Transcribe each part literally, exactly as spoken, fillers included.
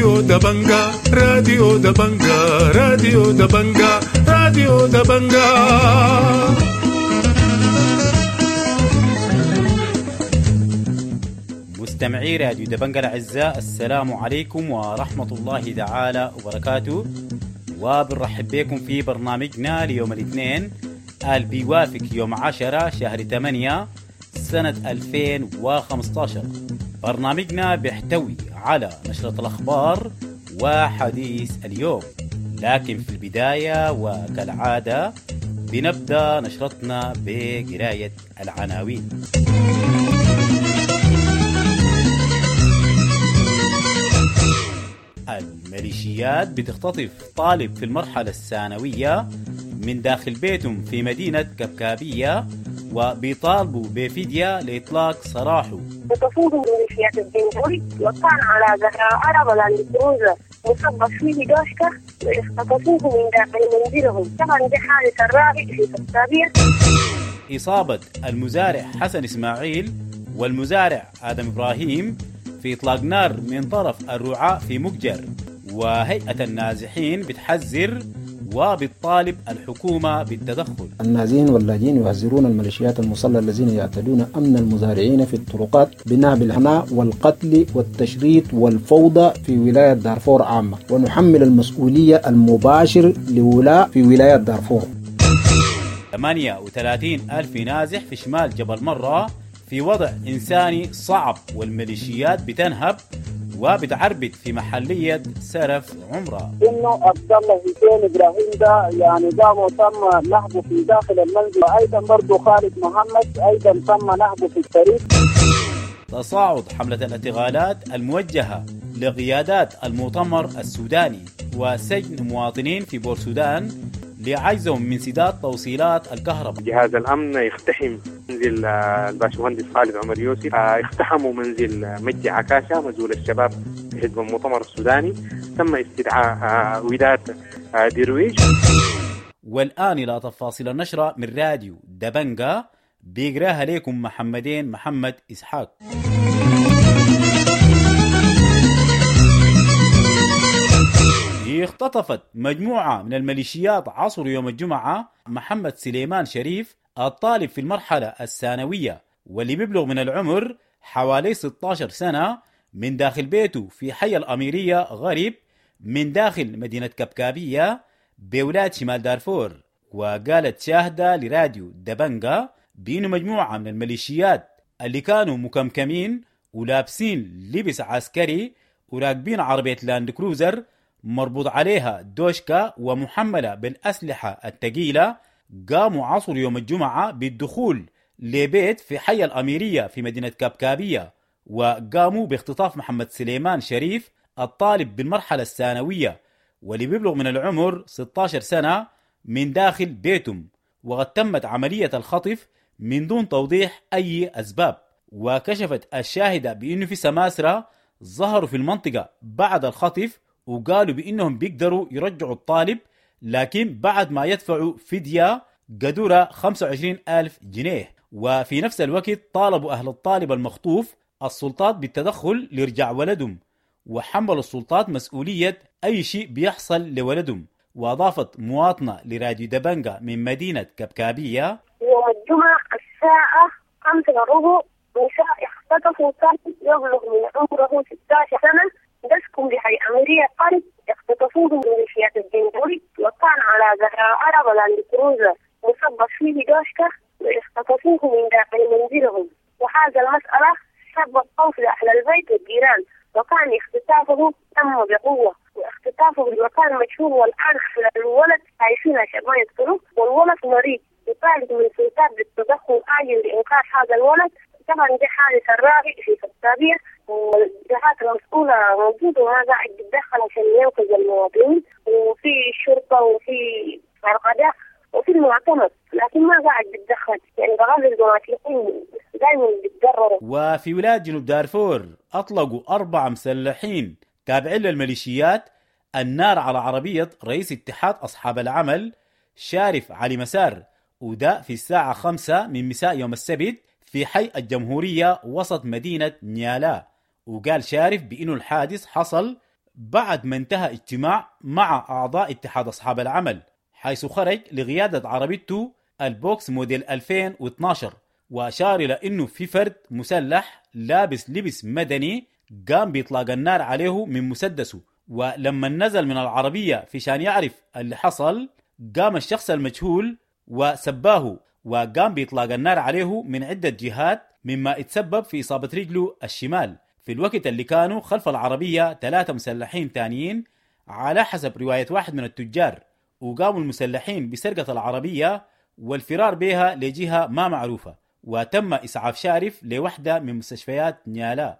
راديو دبنجا راديو دبنجا راديو دبنجا راديو دبنجا. مستمعي راديو دبنجا الأعزاء، السلام عليكم ورحمة الله تعالى وبركاته، وبنرحب بكم في برنامجنا ليوم الاثنين اللي بيوافق يوم عشرة شهر ثمانية سنة ألفين وخمسة عشر. برنامجنا بيحتوي على نشرة الأخبار وحديث اليوم، لكن في البداية وكالعادة بنبدأ نشرتنا بقراية العناوين. الميليشيات بتختطف طالب في المرحلة الثانوية من داخل بيتهم في مدينة كبكابية وبيطالبوا بفدية لإطلاق سراحه. وتفوض ميليشيات الجنجويد وكان على ظهر عربة لاند كروزر مصبب فيه دوشكة واختطفوه من داخل منزلهم. طبعا دي حادث الرابع في كبكابية. إصابة المزارع حسن إسماعيل والمزارع آدم إبراهيم في إطلاق نار من طرف الرعاة في مكجر، وهيئة النازحين بتحذر وبتطالب الحكومة بالتدخل. النازحين واللاجئين يحذرون الميليشيات المسلحة الذين يعتدون أمن المزارعين في الطرقات بنهب الهناء والقتل والتشريد والفوضى في ولاية دارفور عامة، ونحمل المسؤولية المباشر لولاء في ولاية دارفور. ثمانية وثلاثين ألف نازح في شمال جبل مرة في وضع إنساني صعب، والميليشيات بتنهب وبتعربد في محلية سرف عمرة. إنه عبد الله حسين إبراهيم ده يعني قام وتم نهبه في داخل المنزل، وأيضا برضه خالد محمد أيضا تم نهبه في الطريق. تصاعد حملة الاعتقالات الموجهة لقيادات المؤتمر السوداني وسجن مواطنين في بورسودان لعجزهم من سداد توصيلات الكهرباء. جهاز الأمن يقتحم منزل الباشمهندس خالد عمر يوسف، اقتحموا منزل مجدي عكاشة مزول الشباب في حزب المؤتمر السوداني، تم استدعاء وداد درويش. والآن إلى تفاصيل النشرة من راديو دبنجا بيقراها لكم محمدين محمد إسحاق. اختطفت مجموعة من الميليشيات عصر يوم الجمعة محمد سليمان شريف الطالب في المرحلة الثانوية واللي بيبلغ من العمر حوالي ستة عشر سنة من داخل بيته في حي الأميرية غريب من داخل مدينة كبكابية بولاية شمال دارفور. وقالت شاهدة لراديو دبنجا بأنه مجموعة من الميليشيات اللي كانوا مكمكمين ولابسين لبس عسكري وراكبين عربية لاند كروزر مربوط عليها دوشكا ومحملة بالأسلحة الثقيلة قاموا عصر يوم الجمعة بالدخول لبيت في حي الأميرية في مدينة كبكابية، وقاموا باختطاف محمد سليمان شريف الطالب بالمرحلة الثانوية واللي بيبلغ من العمر ستة عشر سنة من داخل بيتهم، وقد تمت عملية الخطف من دون توضيح أي أسباب. وكشفت الشاهدة بأنه في سماسرة ظهروا في المنطقة بعد الخطف وقالوا بأنهم بيقدروا يرجعوا الطالب لكن بعد ما يدفعوا فدية قدرها خمسة وعشرين ألف جنيه. وفي نفس الوقت طالبوا أهل الطالب المخطوف السلطات بالتدخل ليرجع ولدهم، وحملوا السلطات مسؤولية أي شيء بيحصل لولدهم. وأضافت مواطنة لراديو دبنجا من مدينة كبكابية: يوم الجمعة الساعة خمسة وربع نساء اختطفوا طالب يبلغ من عمره ستة عشر سنة يسكن بحي أميرية قرب، اختطفوه من ميليشيات الجنجويد وكان على ظهر عربة لاند كروزر مصبب فيه دوشكة واختطفوه من داخل منزلهم. وهذا المسألة سبب خوف لأهل البيت والجيران، وكان اختطافه تم بقوة واختطافه بمكان مجهول، والآن الولد عايشين عشان ما يقتلوه، والولد مريض يطالب من السلطات بالتدخل عاجل لإنقاذ هذا الولد. طبعا دي حادث الرابع في كبكابية، والجهات المسؤولة موجودة وما قاعد تتدخل عشان ينقذ المواطنين، وفي الشرطة وفي القضاء وفي المعتمد، لكن ما قاعد بتدخل، يعني بغض المواطنين دائما بيتضرروا. وفي ولاية جنوب دارفور أطلقوا أربعة مسلحين تابعين للميليشيات النار على عربية رئيس اتحاد أصحاب العمل شارف علي مسار، وده في الساعة خمسة من مساء يوم السبت في حي الجمهورية وسط مدينة نيالا. وقال شارف بأنه الحادث حصل بعد ما انتهى اجتماع مع أعضاء اتحاد أصحاب العمل، حيث خرج لقيادة عربيته البوكس موديل ألفين واثناشر، وأشار إلى أنه في فرد مسلح لابس لبس مدني قام بإطلاق النار عليه من مسدسه، ولما نزل من العربية في شان يعرف اللي حصل قام الشخص المجهول وسباه وقام بإطلاق النار عليه من عدة جهات، مما اتسبب في إصابة رجله الشمال في الوقت اللي كانوا خلف العربية ثلاثة مسلحين تانيين على حسب رواية واحد من التجار، وقاموا المسلحين بسرقة العربية والفرار بها لجهة ما معروفة، وتم إسعاف شارف لوحدة من مستشفيات نيالا.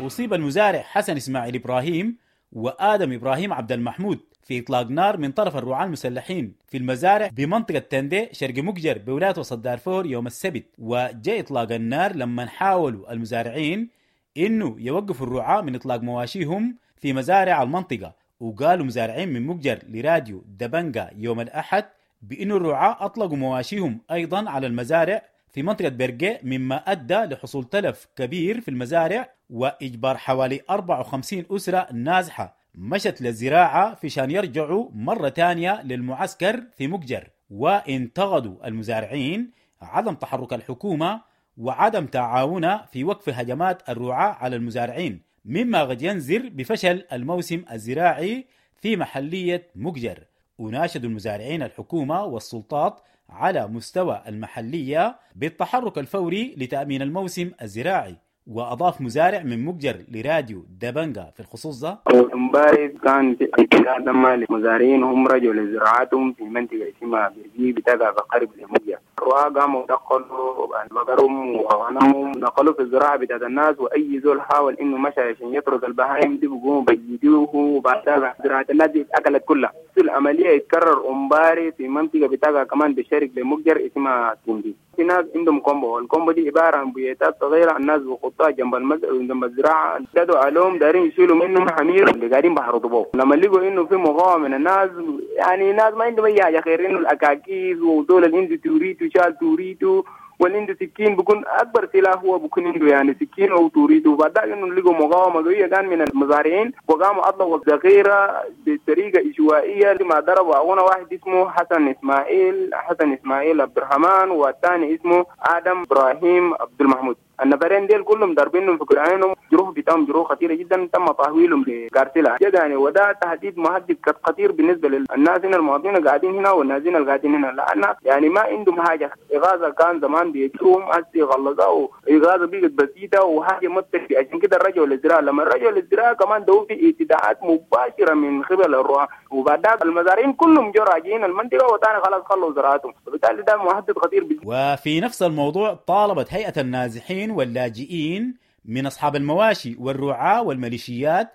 أصيب المزارع حسن إسماعيل إبراهيم وآدم إبراهيم عبد المحمود في إطلاق نار من طرف الرعاة المسلحين في المزارع بمنطقة تندي شرق مقجر بولاية وسط دارفور يوم السبت. وجاء إطلاق النار لما حاولوا المزارعين إنه يوقفوا الرعاة من إطلاق مواشيهم في مزارع المنطقة. وقالوا مزارعين من مقجر لراديو دبنجا يوم الأحد بأن الرعاة أطلقوا مواشيهم أيضا على المزارع في منطقة برقي، مما أدى لحصول تلف كبير في المزارع وإجبار حوالي أربعة وخمسين أسرة نازحة مشت للزراعة في شان يرجعوا مرة تانية للمعسكر في مقجر. وانتقدوا المزارعين عدم تحرك الحكومة وعدم تعاونها في وقف هجمات الرعاة على المزارعين، مما قد ينذر بفشل الموسم الزراعي في محلية مقجر. وناشدوا المزارعين الحكومة والسلطات على مستوى المحلية بالتحرك الفوري لتأمين الموسم الزراعي. وأضاف مزارع من مقجر لراديو دبنجا في الخصوص ده: امبارح كان في اعتداء للمزارعين، هم رجعوا لزراعتهم في منطقة اسمها برجي بتقع بقرب لمقجر. الرعاة قاموا دخلوا بقرهم وغنمهم، دخلوا في الزراعة بتاعت الناس، وأي زول حاول إنه مشى عشان يطرد البهائم دي بيقوموا بيجيدوه، وبعدها زراعة الناس دي اتأكلت كلها. العملية يتكرر امبارح في منطقة بتقع كمان بالشرق لمقجر اسمها تندي. في ناس عندهم كومبو، الكومبو دي عبارة عن بيوتات صغيرة الناس بخطها جنب المز... جنب الزراعة، ابتدوا عليهم دارين يشيلوا منهم حمير اللي قاعدين بحرطوا بوه. لما لقوا انه في مقاومة من الناس، يعني ناس ما عندهم اي حاجة غير انه الاكاكيز ودول اللي عنده توريتو شال توريتو واللي عنده سكين بيكون اكبر سلاح هو بيكون عنده يعني سكين او توريتو. وبعد انه لقوا مقاومة قوية كان من المزارعين وقاموا اطلقوا الذخيره بطريقة عشوائية لما ضربوا اخونا واحد اسمه حسن اسماعيل حسن اسماعيل عبد الرحمن، والثاني اسمه ادم ابراهيم عبد المحمود. النفرين ديل كلهم ضاربينهم في كرعينهم، جروح بتاعهم جروح خطيرة جدا، تم تحويلهم لكارتيلا يعني. وده تهديد مهدد خطير بالنسبة للناس هنا، المواطنين قاعدين هنا والنازين اللي قاعدين هنا، لان يعني ما عندهم حاجة. اغاثه كان زمان بيجوهم هسه غلظوا، اغاثه بقت بسيطة وحاجه ما بتكفي. عشان كده رجعوا للزراعة. لما رجعوا للزراعة كمان دو في اعتداءات مباشرة من قبل الرعاة، وبعدها المزارعين كلهم جو راجعين المنطقة وثاني خلاص خلوا زراعتهم، وبالتالي ده مهدد خطير. وفي نفس الموضوع طالبت هيئة النازحين واللاجئين من أصحاب المواشي والرعاة والميليشيات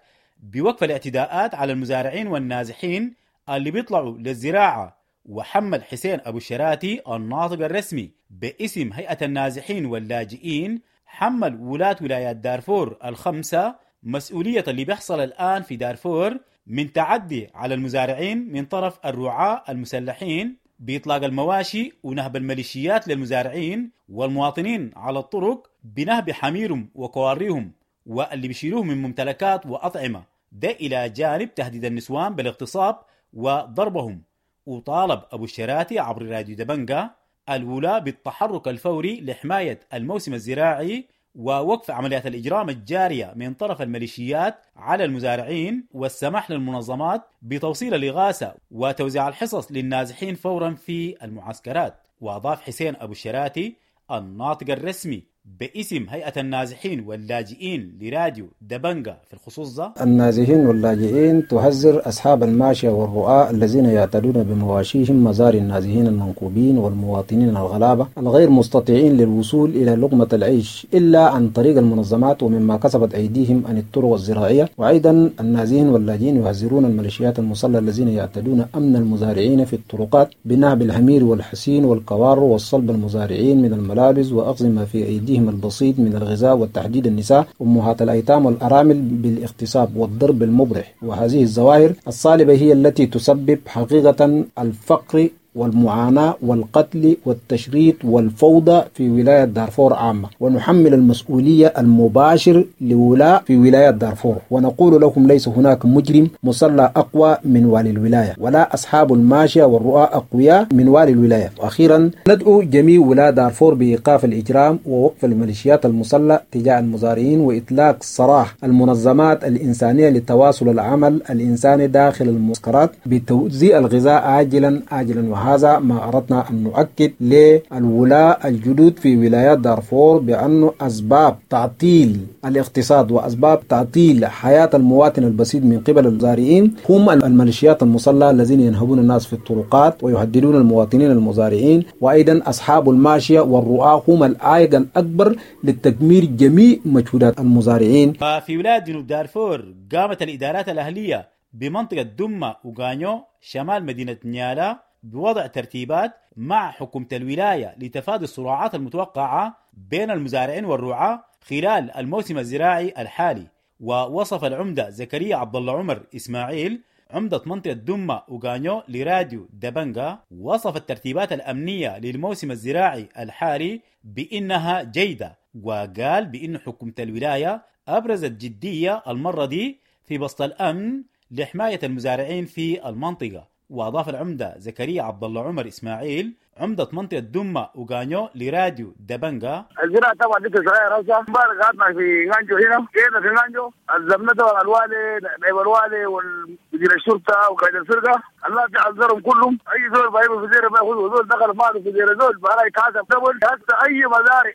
بوقف الاعتداءات على المزارعين والنازحين اللي بيطلعوا للزراعة. وحمل حسين أبو الشراتي الناطق الرسمي باسم هيئة النازحين واللاجئين حمل ولاة ولايات دارفور الخمسة مسؤولية اللي بيحصل الآن في دارفور من تعدي على المزارعين من طرف الرعاة المسلحين بإطلاق المواشي ونهب الميليشيات للمزارعين والمواطنين على الطرق بنهب حميرهم وكواريهم واللي بيشيلوه من ممتلكات وأطعمة، ده إلى جانب تهديد النسوان بالاغتصاب وضربهم. وطالب أبو الشراتي عبر راديو دبنجا الولاة بالتحرك الفوري لحماية الموسم الزراعي ووقف عمليات الإجرام الجارية من طرف الميليشيات على المزارعين والسماح للمنظمات بتوصيل الإغاثة وتوزيع الحصص للنازحين فورا في المعسكرات. وأضاف حسين أبو الشراتي الناطق الرسمي باسم هيئة النازحين واللاجئين لراديو دبنجا في الخصوص ده: النازحين واللاجئين تحذر أصحاب الماشية والرعاة الذين يعتدون بمواشيهم مزار النازحين المنكوبين والمواطنين الغلابة الغير مستطيعين للوصول إلى لقمة العيش إلا عن طريق المنظمات ومما كسبت أيديهم عن الطرق الزراعية. وأيضا النازحين واللاجئين يحذرون الميليشيات المسلحة الذين يعتدون أمن المزارعين في الطرقات بنهب الحمير والحسين والكوار والصلب المزارعين من الملابس وأخذ ما في أيديهم البسيط من الغذاء وتحديد النساء أمهات الأيتام والأرامل بالاغتصاب والضرب المبرح. وهذه الظواهر الصالبة هي التي تسبب حقيقة الفقر والمعاناة والقتل والتشريد والفوضى في ولاية دارفور عامة، ونحمل المسؤولية المباشر لولاء في ولاية دارفور، ونقول لكم ليس هناك مجرم مسلح أقوى من والي الولاية، ولا أصحاب الماشية والرؤى أقوياء من والي الولاية. وأخيرا ندعو جميع ولاة دارفور بإيقاف الإجرام ووقف الميليشيات المسلحة تجاه المزارعين وإطلاق سراح المنظمات الإنسانية لتواصل العمل الإنساني داخل المعسكرات بتوزيع الغذاء عاجلا عاجلا. وهذا ما أردنا أن نؤكد للولاة الجدد في ولايات دارفور بأن أسباب تعطيل الاقتصاد وأسباب تعطيل حياة المواطن البسيط من قبل المزارعين هم الميليشيات المسلحة الذين ينهبون الناس في الطرقات ويهددون المواطنين المزارعين، وأيضا أصحاب الماشية والرعاة هم العائق الأكبر لتدمير جميع مجهودات المزارعين. ففي ولاية جنوب دارفور قامت الإدارات الأهلية بمنطقة دمة وغانيو شمال مدينة نيالا بوضع ترتيبات مع حكومة الولاية لتفادي الصراعات المتوقعة بين المزارعين والرعاة خلال الموسم الزراعي الحالي. ووصف العمدة زكريا عبد الله عمر إسماعيل عمدة منطقة دمة وغانيو لراديو دبنجا وصف الترتيبات الأمنية للموسم الزراعي الحالي بأنها جيدة، وقال بأن حكومة الولاية أبرزت جدية المرة دي في بسط الأمن لحماية المزارعين في المنطقة. وأضاف العمدة زكريا عبد الله عمر إسماعيل عمدة منطقة دمة وغانيو لراديو دبنجا: الزراعة طبعا دي صغيرة هسه، امبارح قعدنا في غانجو هنا، جينا في غانجو عزمنا طبعا الوالي نائب الوالي ومدير الشرطة وقائد الفرقة، الله تعذرهم كلهم، أي زول بيبقى في زيرة بياخذ زول دخل ماله في زيرة زول بقى يتحاسب دبل، هسه أي مزارع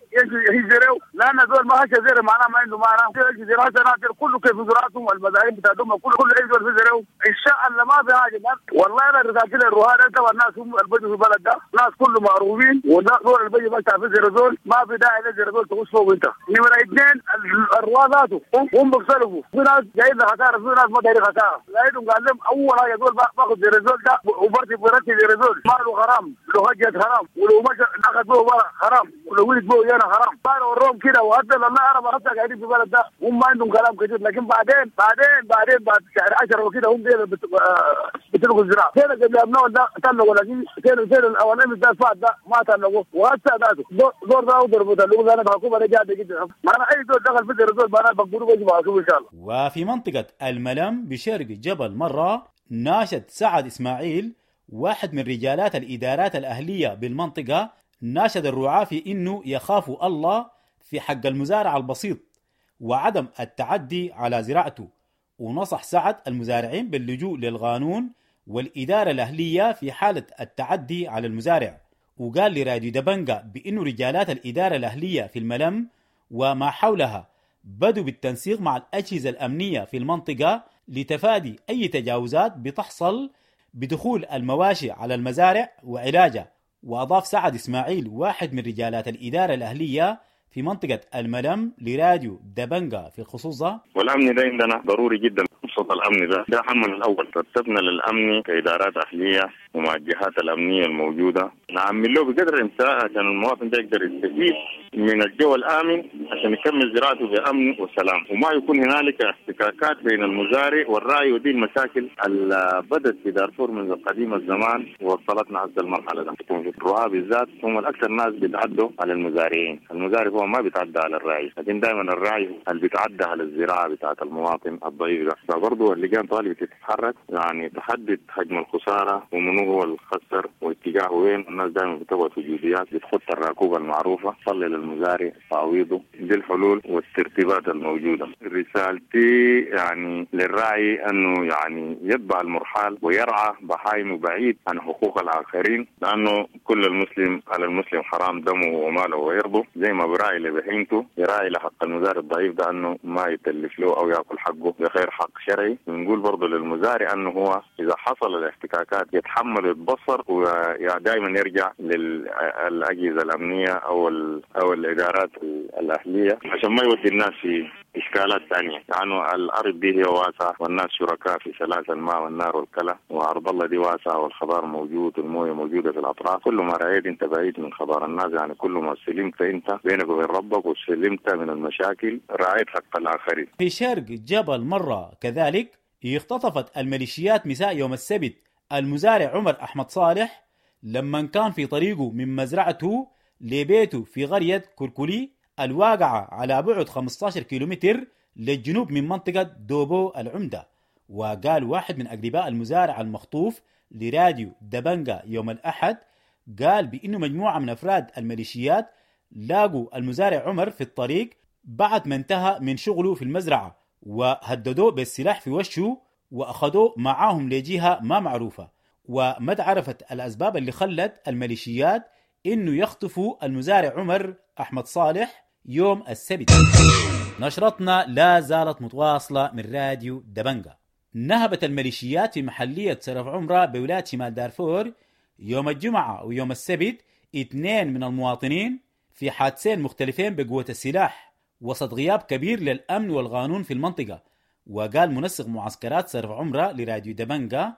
يجريو لأن زول ما هش زيرة معناه ما عنده معنى، زراعة ناصر كله كيف زراعتهم والمزارعين بتاع دمة كله كل أي زول في زيرة إن شاء الله ما في حاجة. والله أنا رسالتي للرهان طبعا الناس هم البدو في البلد ده ناس كله معروفين، ودول البيجي بس في زيرزول ما في داعي لزيرزول تخش فوق انت. نمرة اثنين الرواة ذاته هم بيختلفوا، في ناس جايين خسارة في ناس ما دايرين خسارة، لقيتهم قال لهم اول حاجة زول باخذ زيرزول ده وبرتي برتي زيرزول ماله غرام، لو هجت حرام، ولو مشى اخذ به ورا حرام، ولو ولد به انا حرام. قالوا وروهم كده، وحتى لما انا حتى قاعدين في البلد ده هم ما عندهم كلام كثير، لكن بعدين بعدين بعدين بعد شهر عشرة وكده هم بتلقوا الزراعة. كده قبل ابناء ده طلقوا، لكن كده كده الاولاني ده فات ده ما طلقوه، وهسه ذاته دور ده ضربوا طلقوا انا الحكومة رجعت جدا، ما انا اي زول دخل في الزول انا بقولوا بيجي ان شاء الله. وفي منطقة الملم بشرق جبل مرة ناشد سعد اسماعيل واحد من رجالات الادارات الاهلية بالمنطقة، ناشد الرعاة في انه يخافوا الله في حق المزارع البسيط وعدم التعدي على زراعته، ونصح سعد المزارعين باللجوء للقانون والإدارة الأهلية في حالة التعدي على المزارع. وقال لراديو دبنجا بأنه رجالات الإدارة الأهلية في الملم وما حولها بدوا بالتنسيق مع الأجهزة الأمنية في المنطقة لتفادي أي تجاوزات بتحصل بدخول المواشي على المزارع وعلاجها. وأضاف سعد إسماعيل واحد من رجالات الإدارة الأهلية في منطقة الملم لراديو دبنجا في الخصوص ده: والأمن ده عندنا ضروري جدا، خصوصا الأمن ده ده همنا الأول، رتبنا للأمن كإدارات أهلية ومع الجهات الأمنية الموجودة نعمل له بقدر الإمكان عشان المواطن ده يقدر يستفيد من الجو الآمن عشان يكمل زراعته بأمن وسلام، وما يكون هنالك احتكاكات بين المزارع والراعي، ودي المشاكل اللي بدت في دارفور منذ قديم الزمان ووصلتنا حتى المرحلة ده. الرعاة بالذات هم الأكثر ناس بيتعدوا على المزارعين، المزارع هو ما بيتعدى على الراعي، لكن دائما الراعي اللي بيتعدى على الزراعة بتاعت المواطن الضعيف ده. فبرضه اللجان طالبة تتحرك يعني تحدد حجم الخسارة ومن هو الخسر واتجاهه وين. الناس دائما بتقعد في جزئيات بتخط الراكوبة المعروفة، صلي للمزارع تعويضه، دي الحلول والترتيبات الموجودة. رسالتي يعني للراعي أنه يعني يتبع المرحال ويرعى بهايمه بعيد عن حقوق الآخرين، لأنه كل المسلم على المسلم حرام دمه وماله وعرضه، زي ما براعي لبهيمته يراعي لحق المزارع الضعيف ده أنه ما يتلف له أو يأكل حقه بغير حق شرعي. بنقول برضه للمزارع أنه هو إذا حصل الاحتكاكات يتحمل ويتبصر ودائما يرجع للأجهزة الأمنية أو أو الإدارات الأهلية عشان ما يودي الناس في إشكالات ثانية، لأنه يعني الأرض دي هي واسعة والناس شركاء في سلاسل الماء والنار والكلى، وأرض الله دي واسعة والخضار موجود والموية موجودة في الأطراف. كل ما رأيت أنت بعيد من خضار الناس، يعني كل ما سلمت أنت بينك وبين ربك وسلمت من المشاكل رعيت حق الآخرين. في شرق جبل مرة كذلك اختطفت الميليشيات مساء يوم السبت المزارع عمر أحمد صالح لما كان في طريقه من مزرعته لبيته في قرية كركولي الواقعة على بعد خمسة عشر كيلومتر للجنوب من منطقة دوبو العمدة. وقال واحد من أقرباء المزارع المخطوف لراديو دبنجا يوم الأحد، قال بأنه مجموعة من أفراد الميليشيات لاقوا المزارع عمر في الطريق بعد ما انتهى من شغله في المزرعة، وهددوه بالسلاح في وشه وأخذوه معاهم لجهة ما معروفة. وما تعرفت الأسباب اللي خلت الميليشيات إنه يخطفوا المزارع عمر أحمد صالح يوم السبت. نشرتنا لا زالت متواصلة من راديو دبنجا. نهبت الميليشيات في محلية سرف عمرة بولاية شمال دارفور يوم الجمعة ويوم السبت اثنين من المواطنين في حادثين مختلفين بقوة السلاح وسط غياب كبير للأمن والقانون في المنطقة. وقال منسق معسكرات سرف عمرة لراديو دبنجا،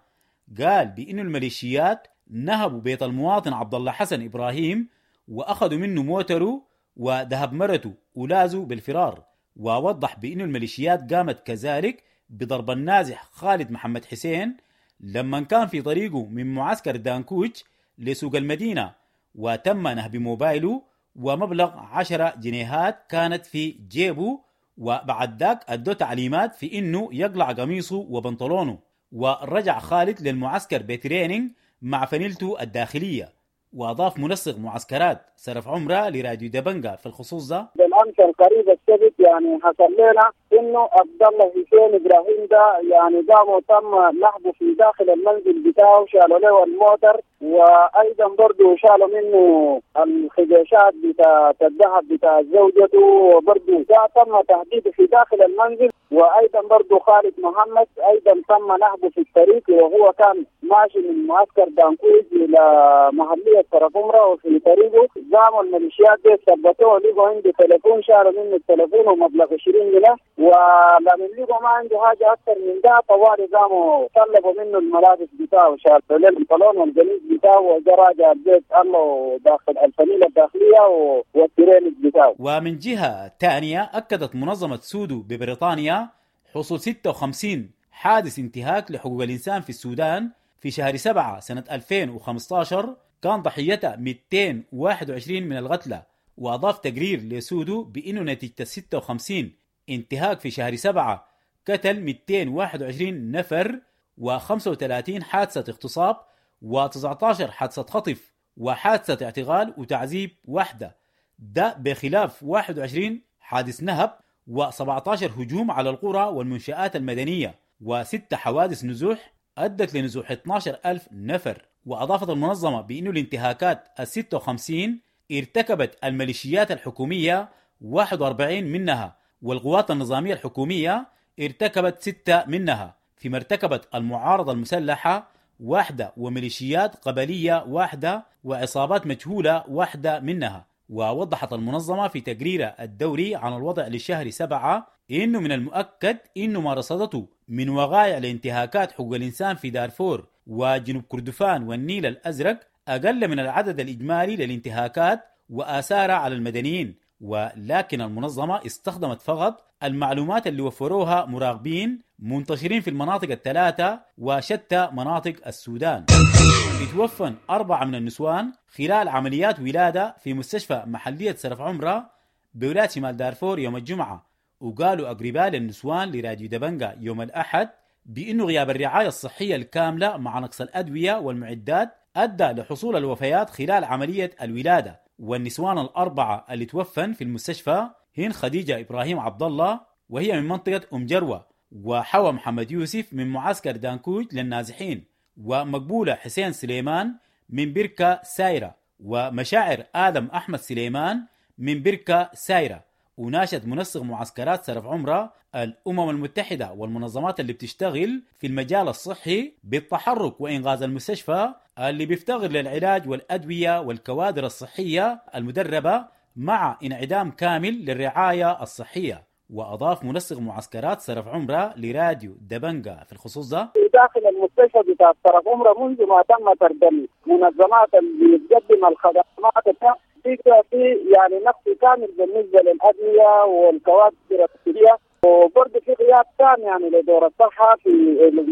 قال بأن الميليشيات نهبوا بيت المواطن عبد الله حسن إبراهيم وأخذوا منه موتره وذهب مرته ولازوا بالفرار. ووضح بأن الميليشيات قامت كذلك بضرب النازح خالد محمد حسين لما كان في طريقه من معسكر دانكوج لسوق المدينة، وتم نهب موبايله ومبلغ عشرة جنيهات كانت في جيبه، وبعد ذاك أدوا تعليمات في إنه يقلع قميصه وبنطلونه. ورجع خالد للمعسكر بتريننج مع فنيلته الداخلية. وأضاف منسق معسكرات سرف عمرة لراديو دبنجا في الخصوص ده: بالأمس القريب السبت يعني حصل لنا إنه عبد الله حسين إبراهيم ده يعني قاموا تم نهبه في داخل المنزل بتاعه، شالوا له الموتر وأيضا برضه شالوا منه الخديشات بتاع الذهب بتاع زوجته، وبرضه تم تهديده في داخل المنزل. وأيضا برضه خالد محمد أيضا تم نهبه في الطريق وهو كان ماشي من معسكر دانكوز إلى محلية سرف عمرة، وفي طريقه قاموا الميليشيات دي ثبتوه، لقوا عنده تليفون، شالوا منه التليفون ومبلغ عشرين جنيه، ولما لقوا ما عنده حاجة أكثر من ده طوالي قاموا طلبوا منه الملابس بتاعه، شالوا له البنطلون والقميص بتاعه وجا راجع البيت الله داخل الفنيلة الداخلية والترينج بتاعه. ومن جهة ثانية أكدت منظمة سودو ببريطانيا حصول ستة وخمسين حادث انتهاك لحقوق الإنسان في السودان في شهر سبعة سنة ألفين وخمسة عشر كان ضحيتها مئتين وواحد وعشرين من القتلى. وأضاف تقرير لسودو بأنه نتيجة ستة وخمسين انتهاك في شهر سبعة قتل مئتين وواحد وعشرين نفر وخمسة وثلاثين حادثة اغتصاب وتسعة عشر حادثة خطف وحادثة اعتقال وتعذيب واحدة، ده بخلاف واحد وعشرين حادث نهب وسبعة عشر هجوم على القرى والمنشآت المدنية وست حوادث نزوح أدت لنزوح اثني عشر ألف نفر. وأضافت المنظمة بأن الانتهاكات الستة وخمسين ارتكبت الميليشيات الحكومية واحد وأربعين منها، والقوات النظامية الحكومية ارتكبت ستة منها، فيما ارتكبت المعارضة المسلحة واحدة وميليشيات قبلية واحدة وعصابات مجهولة واحدة منها. ووضحت المنظمة في تقريرها الدوري عن الوضع لشهر سبعة إنه من المؤكد إنه ما رصدته من وقائع لانتهاكات حقوق الإنسان في دارفور وجنوب كردفان والنيل الأزرق أقل من العدد الإجمالي للانتهاكات وآثارها على المدنيين، ولكن المنظمة استخدمت فقط المعلومات اللي وفروها مراقبين منتشرين في المناطق الثلاثة وشتى مناطق السودان. اتوفن أربعة من النسوان خلال عمليات ولادة في مستشفى محلية سرف عمرة بولاية شمال دارفور يوم الجمعة، وقالوا أقرباء للنسوان لراديو دبنجا يوم الأحد بأنه غياب الرعاية الصحية الكاملة مع نقص الأدوية والمعدات أدى لحصول الوفيات خلال عملية الولادة. والنسوان الأربعة اللي توفن في المستشفى هن خديجة إبراهيم عبد الله وهي من منطقة أم جروة، وحوى محمد يوسف من معسكر دانكوج للنازحين، ومقبولة حسين سليمان من بركة سايرة، ومشاعر آدم أحمد سليمان من بركة سايرة. وناشد منسق معسكرات سرف عمرة الأمم المتحدة والمنظمات اللي بتشتغل في المجال الصحي بالتحرك وإنغاز المستشفى اللي بيفتقر للعلاج والأدوية والكوادر الصحية المدربة مع انعدام كامل للرعاية الصحية. وأضاف منسق معسكرات سرف عمرة لراديو دبنجا في الخصوص ده: داخل المستشفى بتاع سرف عمرة منذ ما تم طرد المنظمات اللي بتقدم الخدمات في يعني نقص كامل بالنسبة للأدوية والكوادر الطبية، وبرضه في غياب تام يعني لدور الصحة في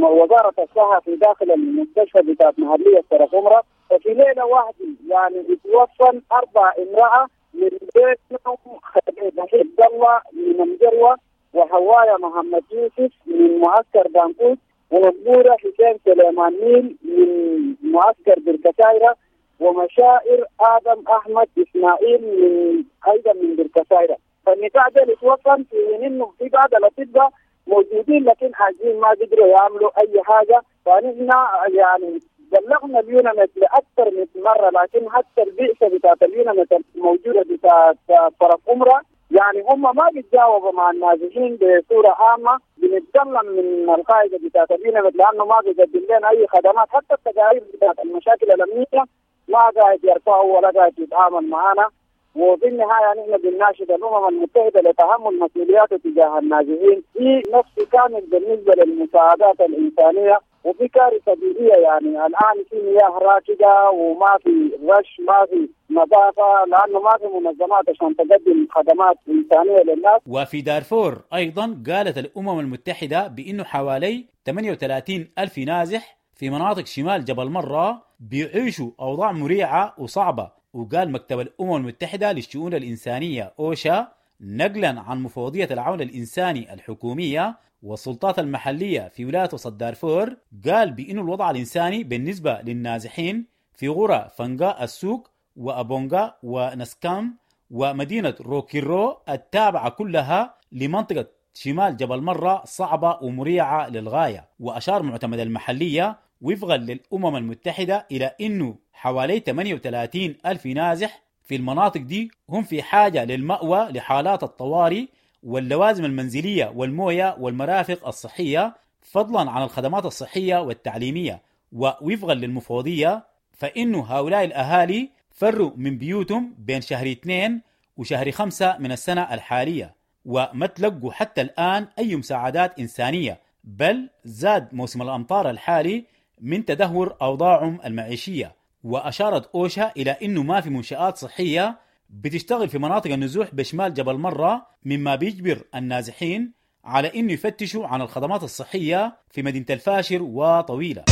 وزارة الصحة في داخل المستشفى بتاعت محلية سرف عمرة. ففي ليلة واحدة يعني اتوفى أربع امرأة من بيتهم خديجة عبد الله من الجروة، وهوايا محمد يوسف من معسكر دانكوت، ومقبورة حسين سليمان نيل من معسكر بركسايرة، ومشائر آدم أحمد إسماعيل من أيضا من بركسايرة. فالنساء دول اتوفن في إنه في بعض الأطباء موجودين لكن عاجزين ما قدروا يعملوا أي حاجة. فنحن يعني بلغنا اليوناميد لأكثر من مرة، لكن حتى البعثة بتاعت اليوناميد الموجودة بتاعت طرف أمرا يعني هم ما بيتجاوبوا مع النازحين بصورة عامة. بنتكلم من القاعدة بتاعت اليوناميد لأنه ما بيقدم لنا أي خدمات، حتى التقارير بتاعت المشاكل الأمنية ما قاعد يرفعوا ولا قاعد يتعامل معنا. وفي النهاية نحن بنناشد الأمم المتحدة لتحمل مسؤولياته تجاه النازحين في نفس كامل بالنسبة للمساعدات الإنسانية. وفي كارثة بيئية، يعني الآن في مياه راكدة وما في رش، ما في نظافة، لأنه ما في منظمات عشان تقدم خدمات إنسانية للناس. وفي دارفور أيضا قالت الأمم المتحدة بأنه حوالي ثمانية وثلاثين ألف نازح في مناطق شمال جبل مرة بيعيشوا أوضاع مريعة وصعبة. وقال مكتب الأمم المتحدة للشؤون الإنسانية أوشا نقلا عن مفوضية العون الإنساني الحكومية والسلطات المحلية في ولاية وسط دارفور، قال بأن الوضع الإنساني بالنسبة للنازحين في غرى فنقاء السوق وأبونغا ونسكام ومدينة روكيرو التابعة كلها لمنطقة شمال جبل مرة صعبة ومريعة للغاية. وأشار معتمد المحلية وفقا للأمم المتحدة إلى أنه حوالي ثمانية وثلاثين ألف نازح في المناطق دي هم في حاجة للمأوى لحالات الطوارئ واللوازم المنزلية والموية والمرافق الصحية، فضلا عن الخدمات الصحية والتعليمية. ووفقا للمفوضية فإنه هؤلاء الأهالي فروا من بيوتهم بين شهر اثنين وشهر خمسة من السنة الحالية، وما تلقوا حتى الآن أي مساعدات إنسانية، بل زاد موسم الأمطار الحالي من تدهور أوضاعهم المعيشية. وأشارت أوشا إلى أنه ما في منشآت صحية بتشتغل في مناطق النزوح بشمال جبل مرة، مما بيجبر النازحين على أنه يفتشوا عن الخدمات الصحية في مدينة الفاشر وطويلة.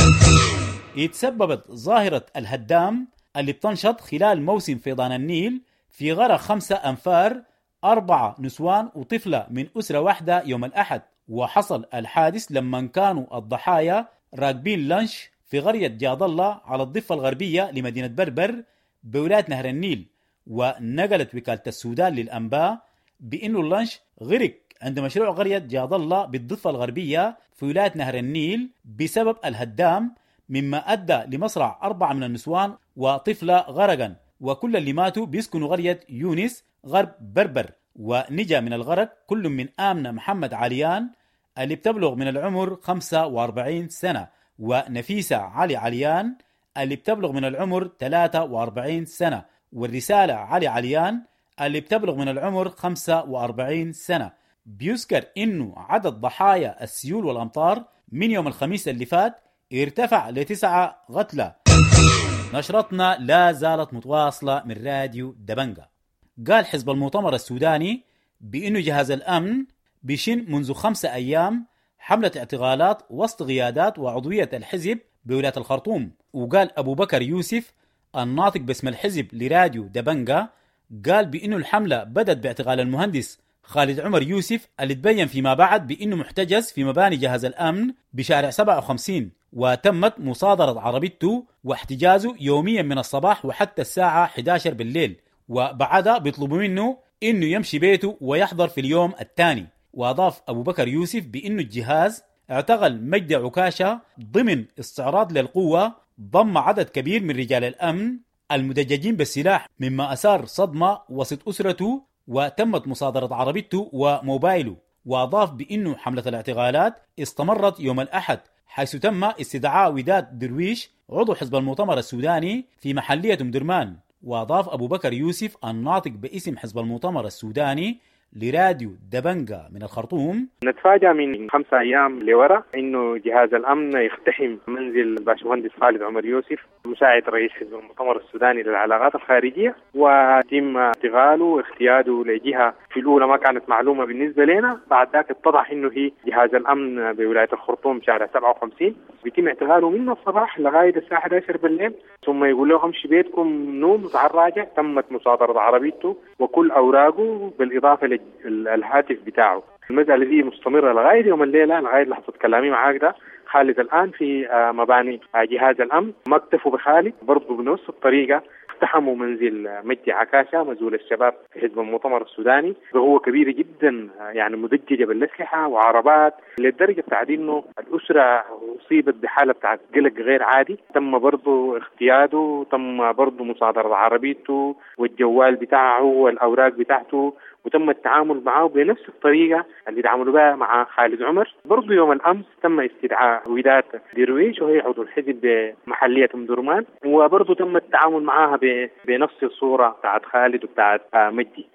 يتسببت ظاهرة الهدام اللي بتنشط خلال موسم فيضان النيل في غرق خمسة أنفار، أربعة نسوان وطفلة من أسرة واحدة يوم الأحد. وحصل الحادث لما كانوا الضحايا راكبين لانش في قرية جاد الله على الضفة الغربية لمدينة بربر بولاية نهر النيل. ونقلت وكالة السودان للأنباء بأنه اللانش غرق عند مشروع قرية جاد الله بالضفة الغربية في ولاية نهر النيل بسبب الهدام، مما أدى لمصرع أربعة من النسوان وطفلة غرقا، وكل اللي ماتوا بيسكنوا قرية يونس غرب بربر. ونجا من الغرق كل من آمنة محمد عليان اللي بتبلغ من العمر خمسة وأربعين سنة، ونفيسة علي عليان اللي بتبلغ من العمر ثلاثة وأربعين سنة، والرسالة علي عليان اللي بتبلغ من العمر خمسة وأربعين سنة. بيذكر إنه عدد ضحايا السيول والأمطار من يوم الخميس اللي فات ارتفع لتسعة قتلى. نشرتنا لا زالت متواصلة من راديو دبنجا. قال حزب المؤتمر السوداني بأنه جهاز الأمن بيشن منذ خمسة أيام حملة اعتقالات وسط قيادات وعضوية الحزب بولاية الخرطوم. وقال أبو بكر يوسف الناطق باسم الحزب لراديو دبنجا قال بأنه الحملة بدأت باعتقال المهندس خالد عمر يوسف اللي تبين فيما بعد بأنه محتجز في مباني جهاز الأمن بشارع سبعة وخمسين، وتمت مصادرة عربيته واحتجازه يوميا من الصباح وحتى الساعة إحدى عشر بالليل، وبعدها بيطلبوا منه إنه يمشي بيته ويحضر في اليوم الثاني. وأضاف أبو بكر يوسف بأنه الجهاز اعتقل مجدي عكاشة ضمن استعراض للقوة ضم عدد كبير من رجال الأمن المدججين بالسلاح، مما أثار صدمة وسط أسرته، وتمت مصادرة عربيته وموبايله. وأضاف بأنه حملة الاعتقالات استمرت يوم الأحد، حيث تم استدعاء وداد درويش عضو حزب المؤتمر السوداني في محلية أم درمان. وأضاف أبو بكر يوسف الناطق باسم حزب المؤتمر السوداني لراديو دبنجا من الخرطوم. نتفاجأ من خمسة أيام لورا إنه جهاز الأمن يقتحم منزل الباشمهندس خالد عمر يوسف مساعد رئيس حزب المؤتمر السوداني للعلاقات الخارجية، وتم اعتقاله واختياده لجهة في الأولى ما كانت معلومة بالنسبة لنا، بعد ذاك اتضح إنه هي جهاز الأمن بولاية الخرطوم شارع سبعة وخمسين. بيتم اعتقاله من الصباح لغاية الساعة أحد عشر بالليل، ثم يقول له امشي بيتكم نوم وتعال راجع. تمت مصادرة عربيته وكل أوراقه بالإضافة للهاتف بتاعه. المسألة دي مستمرة لغاية يوم الليلة، لغاية لحظة كلامي معاك ده. خالد الآن في مباني جهاز الأمن. ما اكتفوا بخالد، برضه بنفس الطريقة اقتحموا منزل مجدي عكاشة مزول الشباب في حزب المؤتمر السوداني بقوة كبيرة جدا، يعني مدججة بالأسلحة وعربات، للدرجة بتاعت إنه الأسرة أصيبت بحالة بتاعت قلق غير عادي. تم برضه اغتياله، تم برضه مصادرة عربيته والجوال بتاعه والأوراق بتاعته، وتم التعامل معه بنفس الطريقة اللي تعاملوا بها مع خالد عمر. برضو يوم الأمس تم استدعاء وداد درويش وهي عضو الحزب بمحلية أم درمان، وبرضو تم التعامل معها بنفس الصورة بتاعت خالد وبتاعت مجدي.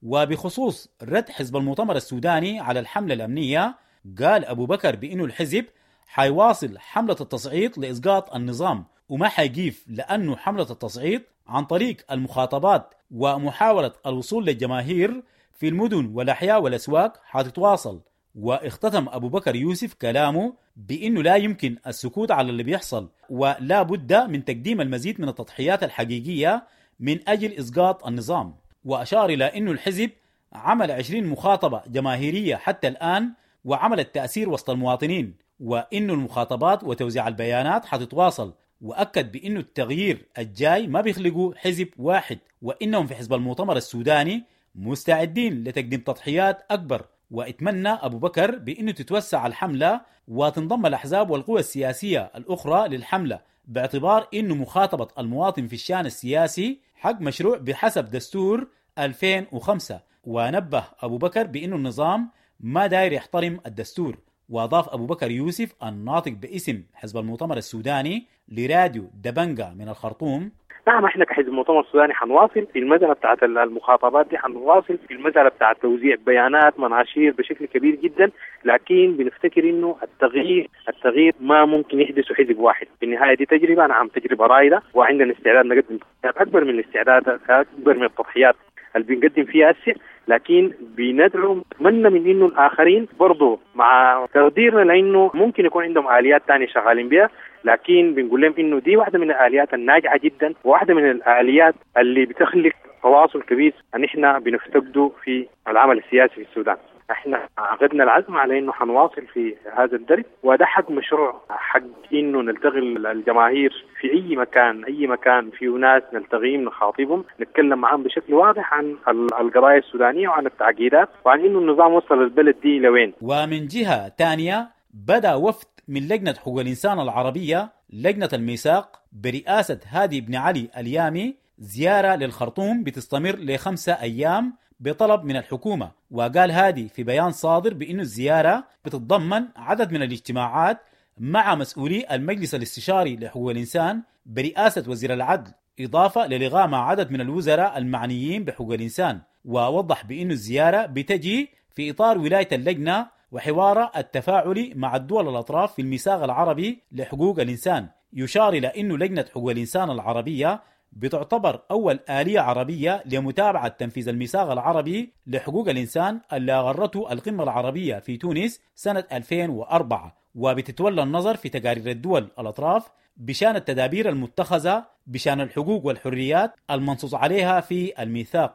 وبخصوص رد حزب المؤتمر السوداني على الحملة الأمنية، قال أبو بكر بأنه الحزب حيواصل حملة التصعيد لإسقاط النظام وما حيقيف، لأنه حملة التصعيد عن طريق المخاطبات ومحاولة الوصول للجماهير في المدن والأحياء والأسواق حتتواصل. واختتم أبو بكر يوسف كلامه بأنه لا يمكن السكوت على اللي بيحصل، ولا بد من تقديم المزيد من التضحيات الحقيقية من أجل إسقاط النظام. وأشار إلى أنه الحزب عمل عشرين مخاطبة جماهيرية حتى الآن وعمل التأثير وسط المواطنين، وأنه المخاطبات وتوزيع البيانات حتتواصل. وأكد بأنه التغيير الجاي ما بيخلقوا حزب واحد، وإنهم في حزب المؤتمر السوداني مستعدين لتقديم تضحيات أكبر. واتمنى أبو بكر بأنه تتوسع الحملة وتنضم الأحزاب والقوى السياسية الأخرى للحملة، باعتبار أنه مخاطبة المواطن في الشأن السياسي حق مشروع بحسب دستور ألفين وخمسة. ونبه أبو بكر بأنه النظام ما داير يحترم الدستور. وأضاف أبو بكر يوسف الناطق باسم حزب المؤتمر السوداني لراديو دبنجا من الخرطوم: نعم، احنا كحزب المؤتمر السوداني حنواصل في المسألة بتاعت المخاطبات دي، حنواصل في المسألة بتاعت توزيع بيانات مناشير بشكل كبير جدا، لكن بنفتكر انه التغيير التغيير ما ممكن يحدث حزب واحد. في النهاية دي تجربة، نعم تجربة رائدة، وعندنا استعداد نقدم اكبر من الاستعداد، اكبر من التضحيات اللي بنقدم فيها هسه، لكن بندعو نتمنى من انه الاخرين برضه مع تقديرنا لانه ممكن يكون عندهم اليات ثانيه شغالين بها، لكن بنقول لهم انه دي واحده من الاليات الناجحه جدا، وواحده من الاليات اللي بتخلق تواصل كبير ان احنا بنفتقده في العمل السياسي في السودان. احنا عقدنا العزم على انه حنواصل في هذا الدرب، وده حق مشروع، حق انه نلتقي الجماهير في اي مكان، اي مكان فيه ناس نلتقيهم نخاطبهم، نتكلم معهم بشكل واضح عن القضايا السودانيه وعن التعقيدات وعن انه النظام وصل البلد دي لوين. ومن جهه ثانيه، بدا وفد من لجنه حقوق الانسان العربيه لجنه الميثاق برئاسه هادي بن علي اليامي زياره للخرطوم بتستمر لخمسه ايام بطلب من الحكومة. وقال هادي في بيان صادر بأن الزيارة بتتضمن عدد من الاجتماعات مع مسؤولي المجلس الاستشاري لحقوق الإنسان برئاسة وزير العدل، إضافة للقاء مع عدد من الوزراء المعنيين بحقوق الإنسان. ووضح بأن الزيارة بتجي في إطار ولاية اللجنة وحوار التفاعلي مع الدول الأطراف في الميثاق العربي لحقوق الإنسان. يشار إلى أن لجنة حقوق الإنسان العربية بتعتبر أول آلية عربية لمتابعة تنفيذ الميثاق العربي لحقوق الإنسان اللي أغرته القمة العربية في تونس سنة ألفين وأربعة، وبتتولى النظر في تقارير الدول الأطراف بشأن التدابير المتخذة بشأن الحقوق والحريات المنصوص عليها في الميثاق.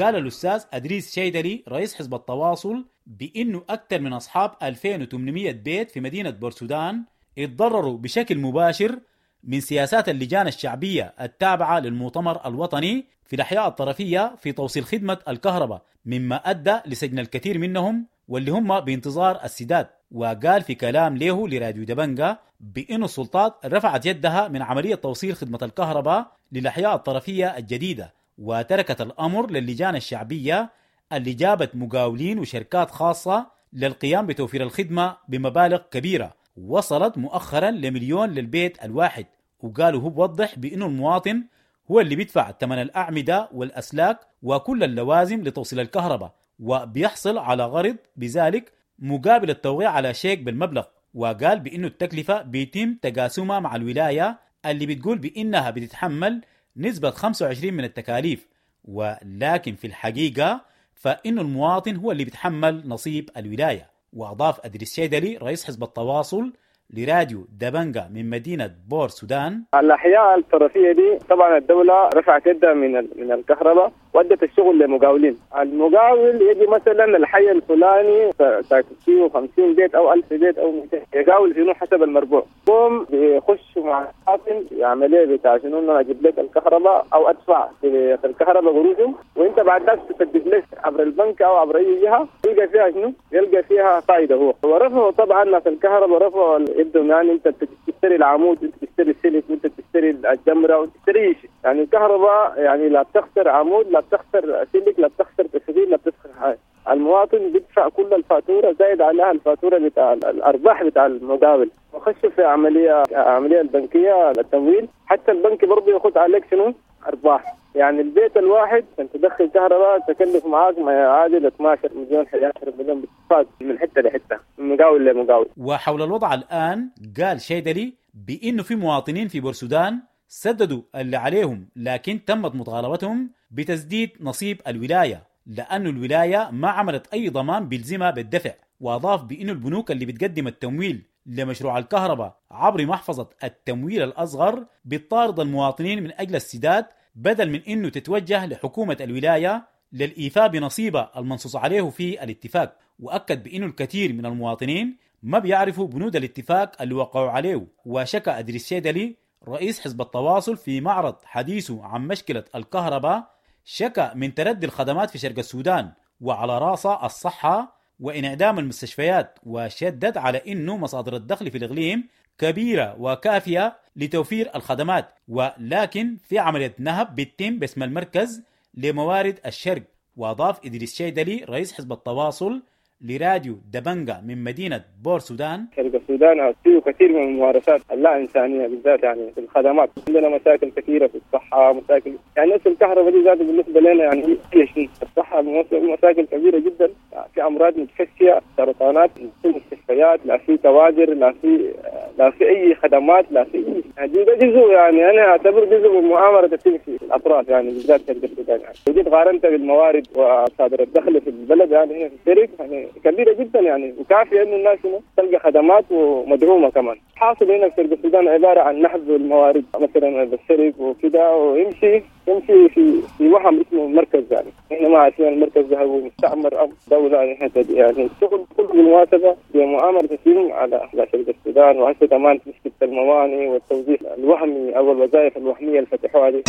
قال الأستاذ أدريس شيدلي رئيس حزب التواصل بأنه أكثر من أصحاب ألفين وثمانمئة بيت في مدينة بورسودان اتضرروا بشكل مباشر من سياسات اللجان الشعبية التابعة للمؤتمر الوطني في الأحياء الطرفية في توصيل خدمة الكهرباء، مما أدى لسجن الكثير منهم واللي هم بانتظار السداد. وقال في كلام له لراديو دبنجا بأن السلطات رفعت يدها من عملية توصيل خدمة الكهرباء للأحياء الطرفية الجديدة، وتركت الأمر للجان الشعبية اللي جابت مقاولين وشركات خاصة للقيام بتوفير الخدمة بمبالغ كبيرة وصلت مؤخرا لمليون للبيت الواحد. وقالوا هو بوضح بأنه المواطن هو اللي بيدفع ثمن الأعمدة والأسلاك وكل اللوازم لتوصيل الكهرباء، وبيحصل على غرض بذلك مقابل التوقيع على شيك بالمبلغ. وقال بأنه التكلفة بيتم تقاسمها مع الولاية اللي بتقول بأنها بتتحمل نسبة خمسة وعشرين من التكاليف، ولكن في الحقيقة فإنه المواطن هو اللي بيتحمل نصيب الولاية. وأضاف أدريس شيدلي رئيس حزب التواصل لراديو دبنجا من مدينة بور سودان: الأحياء الطرفية دي طبعا الدولة رفعت يدها من من الكهرباء وادت الشغل لمقاولين. المقاول يجي مثلا الحي الفلاني ساكن فيه خمسين بيت او ألف بيت او مئتين، يقاول شنو حسب المربوع، قوم بيخش مع الحاكم يعمل بتاع شنو انا اجيب لك الكهرباء او ادفع في الكهرباء قروشهم، وانت بعد ذاك تسدد لك عبر البنك او عبر اي جهه، يلقى فيها شنو؟ يلقى فيها فائده هو. ورفعوا طبعا ناس الكهرباء رفعوا يدهم، يعني انت بتشتري العمود، انت بتشتري السلك، وانت بتشتري الجمره، وتشتري شيء. يعني الكهرباء يعني لا بتخسر عمود، لا بتخسر سلك، لا بتخسر تشغيل، لا بتخسر حاجه. المواطن بيدفع كل الفاتوره زائد عليها الفاتوره بتاع الارباح بتاع المقاول. وخش في عمليه عمليه البنكيه للتمويل، حتى البنك برضه ياخذ عليك شنو؟ ارباح. يعني البيت الواحد انت تدخل كهرباء تكلف معاك ما يعادل اثناشر مليون احد عشر مليون بالاتفاق من حته لحته، من مقاول لمقاول. وحول الوضع الان قال شيدلي بانه في مواطنين في بورسودان سددوا اللي عليهم، لكن تمت مطالبتهم بتسديد نصيب الولاية لأن الولاية ما عملت أي ضمان بيلزمها بالدفع. وأضاف بأن البنوك اللي بتقدم التمويل لمشروع الكهرباء عبر محفظة التمويل الأصغر بتطارد المواطنين من أجل السداد بدل من أنه تتوجه لحكومة الولاية للإيفاء بنصيبها المنصوص عليه في الاتفاق. وأكد بأنه الكثير من المواطنين ما بيعرفوا بنود الاتفاق اللي وقعوا عليه. وشكى أدريس شيدلي رئيس حزب التواصل في معرض حديثه عن مشكلة الكهرباء، شكى من تردي الخدمات في شرق السودان وعلى راسها الصحة وانعدام المستشفيات، وشدد على أنه مصادر الدخل في الإقليم كبيرة وكافية لتوفير الخدمات، ولكن في عملية نهب بتتم باسم المركز لموارد الشرق. وأضاف إدريس شيدلي رئيس حزب التواصل لراديو دبنجا من مدينة بور سودان: شرق السودان فيه كثير من الممارسات اللا إنسانية بالذات يعني في الخدمات، عندنا مشاكل كثيرة في الصحة، مشاكل يعني نفس الكهرباء دي ذات بالنسبة لنا يعني هي شيء. الصحة مشاكل كبيرة جدا، في أمراض متفشية، سرطانات، في مستشفيات، لا في كوادر، لا في لا في أي خدمات، لا في أي يعني ده جزء يعني أنا أعتبر جزء من مؤامرة تتم في الأطراف يعني بالذات شرق السودان. يعني وجيت قارنت بالموارد وصادر الدخل في البلد يعني هنا في الشرق يعني كبيرة جدا يعني، وكافية إنه الناس تلقى خدمات ومدعومة كمان. حاصل هنا في شرق السودان عبارة عن نهب الموارد مثلا بالشرق وكده، ويمشي يمشي في في وهم اسمه المركز، يعني احنا ما عارفين المركز ده هو مستعمر أو دولة يعني. يعني الشغل كله بالمناسبة بمؤامرة تتم على على شرق السودان، وهسه كمان مشكلة المواني والتوظيف الوهمي أو الوظائف الوهمية اللي فتحوها دي.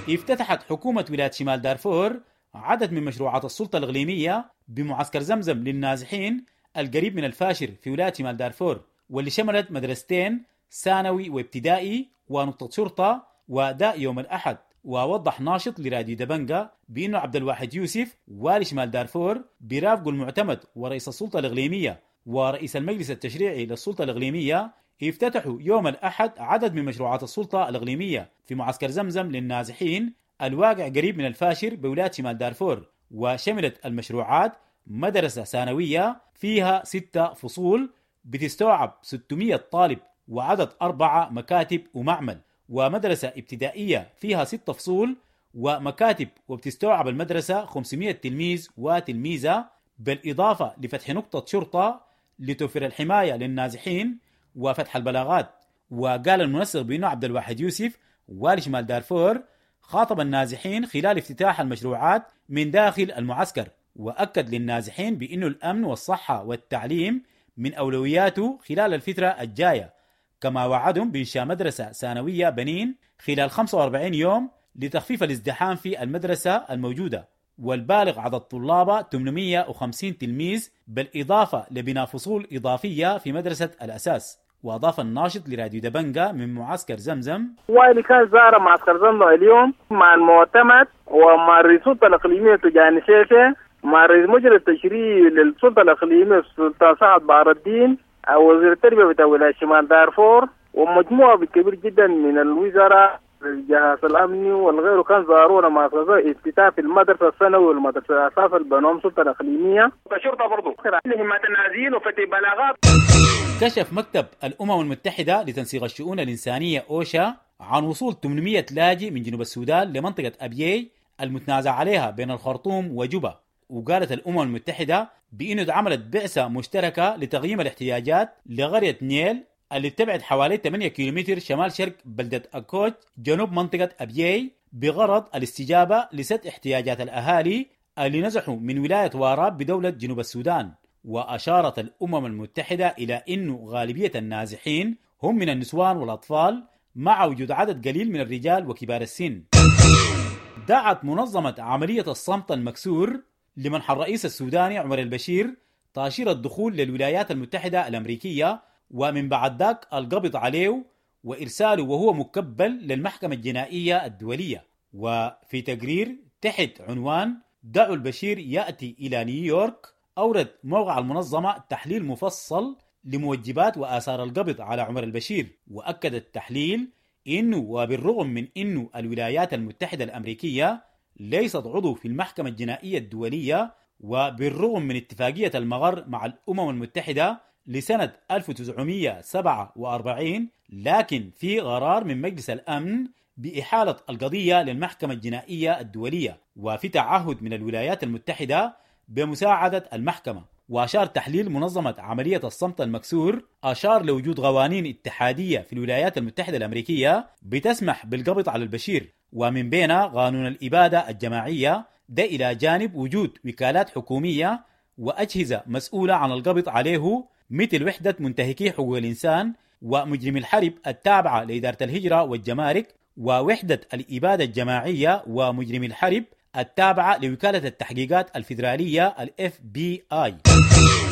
افتتحت حكومة ولاية شمال دارفور عدد من مشروعات السلطة الإقليمية بمعسكر زمزم للنازحين القريب من الفاشر في ولاية شمال دارفور، واللي شملت مدرستين ثانوي وابتدائي ونقطة شرطة، وده يوم الأحد. ووضح ناشط لراديو دبنجا بأنه عبد الواحد يوسف والي شمال دارفور برافقه المعتمد ورئيس السلطة الإقليمية ورئيس المجلس التشريعي للسلطة الإقليمية افتتحوا يوم الأحد عدد من مشروعات السلطة الإقليمية في معسكر زمزم للنازحين الواقع قريب من الفاشر بولاية شمال دارفور. وشملت المشروعات مدرسة ثانوية فيها ستة فصول بتستوعب ستمئة طالب وعدد أربعة مكاتب ومعمل، ومدرسة ابتدائية فيها ستة فصول ومكاتب وبتستوعب المدرسة خمسمئة تلميذ وتلميذة، بالإضافة لفتح نقطة شرطة لتوفير الحماية للنازحين وفتح البلاغات. وقال المنسق بأنه عبد الواحد يوسف والي شمال دارفور خاطب النازحين خلال افتتاح المشروعات من داخل المعسكر، وأكد للنازحين بأنه الأمن والصحة والتعليم من أولوياته خلال الفترة الجاية، كما وعدهم بإنشاء مدرسة ثانوية بنين خلال خمسة وأربعين يوم لتخفيف الازدحام في المدرسة الموجودة، والبالغ عدد طلابها ثمانمئة وخمسين تلميذ، بالإضافة لبناء فصول إضافية في مدرسة الأساس. وأضاف الناشط لراديو دبنجا من معسكر زمزم: والي كان زار معسكر زمزم اليوم مع المعتمد ومع السلطة الإقليمية تجاني سيسي، مع رئيس مجلس التشريعي للسلطة الإقليمية السلطان سعد بار الدين، وزير التربية بتاع ولاية شمال دارفور، ومجموعة كبير جدا من الوزراء الجهاز الأمني والغيره كان زارونا مع افتتاح في المدرسة الثانوي والمدرسة الأساس البنوم سلطة الإقليمية. الشرطة برضه همات النازيين وفتح بلاغات. كشف مكتب الأمم المتحدة لتنسيق الشؤون الإنسانية أوشا عن وصول ثمانمئة لاجئ من جنوب السودان لمنطقة أبيي المتنازع عليها بين الخرطوم وجوبا. وقالت الأمم المتحدة بأنه اتعملت بعثة مشتركة لتقييم الاحتياجات لقرية نيل اللي تبعد حوالي ثمانية كيلومتر شمال شرق بلدة أكوج جنوب منطقة أبيي بغرض الاستجابة لسد احتياجات الأهالي اللي نزحوا من ولاية واراب بدولة جنوب السودان. وأشارت الأمم المتحدة إلى أنه غالبية النازحين هم من النسوان والأطفال مع وجود عدد قليل من الرجال وكبار السن. دعت منظمة عملية الصمت المكسور لمنح الرئيس السوداني عمر البشير تأشيرة الدخول للولايات المتحدة الأمريكية، ومن بعد ذاك القبض عليه وإرساله وهو مكبل للمحكمة الجنائية الدولية. وفي تقرير تحت عنوان دعوا البشير يأتي إلى نيويورك، أورد موقع المنظمة تحليل مفصل لموجبات وآثار القبض على عمر البشير. وأكد التحليل إنه وبالرغم من إنه الولايات المتحدة الأمريكية ليست عضو في المحكمة الجنائية الدولية، وبالرغم من اتفاقية المغر مع الأمم المتحدة لسنة ألف وتسعمئة وسبعة وأربعين، لكن في قرار من مجلس الأمن بإحالة القضية للمحكمة الجنائية الدولية، وفي تعهد من الولايات المتحدة بمساعدة المحكمة. وأشار تحليل منظمة عملية الصمت المكسور أشار لوجود قوانين اتحادية في الولايات المتحدة الأمريكية بتسمح بالقبض على البشير، ومن بينها قانون الإبادة الجماعية، ده إلى جانب وجود وكالات حكومية وأجهزة مسؤولة عن القبض عليه مثل وحدة منتهكي حقوق الإنسان ومجرمي الحرب التابعة لإدارة الهجرة والجمارك، ووحدة الإبادة الجماعية ومجرمي الحرب التابعة لوكالة التحقيقات الفيدرالية ال إف بي آي.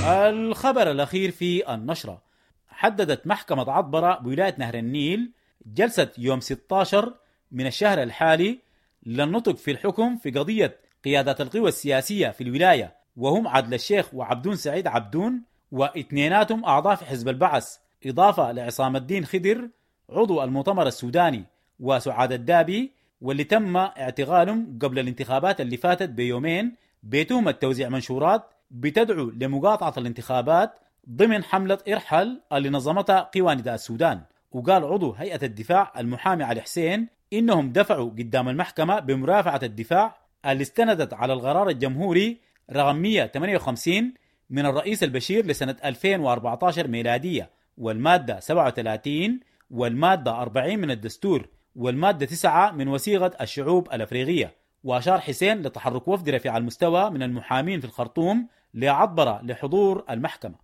الخبر الأخير في النشرة، حددت محكمة عطبرة بولاية نهر النيل جلسة يوم ستة عشر من الشهر الحالي للنطق في الحكم في قضية قيادات القوى السياسية في الولاية، وهم عدل الشيخ وعبدون سعيد عبدون واثنيناتهم أعضاء في حزب البعث، إضافة لعصام الدين خضر عضو المؤتمر السوداني وسعاد الدابي، واللي تم اعتقالهم قبل الانتخابات اللي فاتت بيومين بتهمة توزيع منشورات بتدعو لمقاطعة الانتخابات ضمن حملة ارحل اللي نظمتها قوى نداء السودان. وقال عضو هيئة الدفاع المحامي علي حسين إنهم دفعوا قدام المحكمة بمرافعة الدفاع اللي استندت على القرار الجمهوري رقم مئة وثمانية وخمسين من الرئيس البشير لسنة ألفين وأربعة عشر ميلادية، والمادة سبعة وثلاثين والمادة أربعين من الدستور والمادة تسعة من وثيقة الشعوب الأفريقية. وأشار حسين لتحرك وفد رفيع المستوى من المحامين في الخرطوم لعطبرة لحضور المحكمة.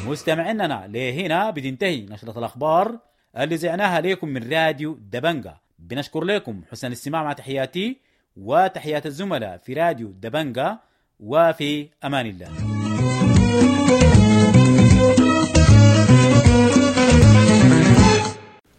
مستمعيننا لهنا بتنتهي نشرة الأخبار اللي زعناها لكم من راديو دبنجا. بنشكر لكم حسن الاستماع، مع تحياتي وتحيات الزملاء في راديو دبنجا، وفي أمان الله.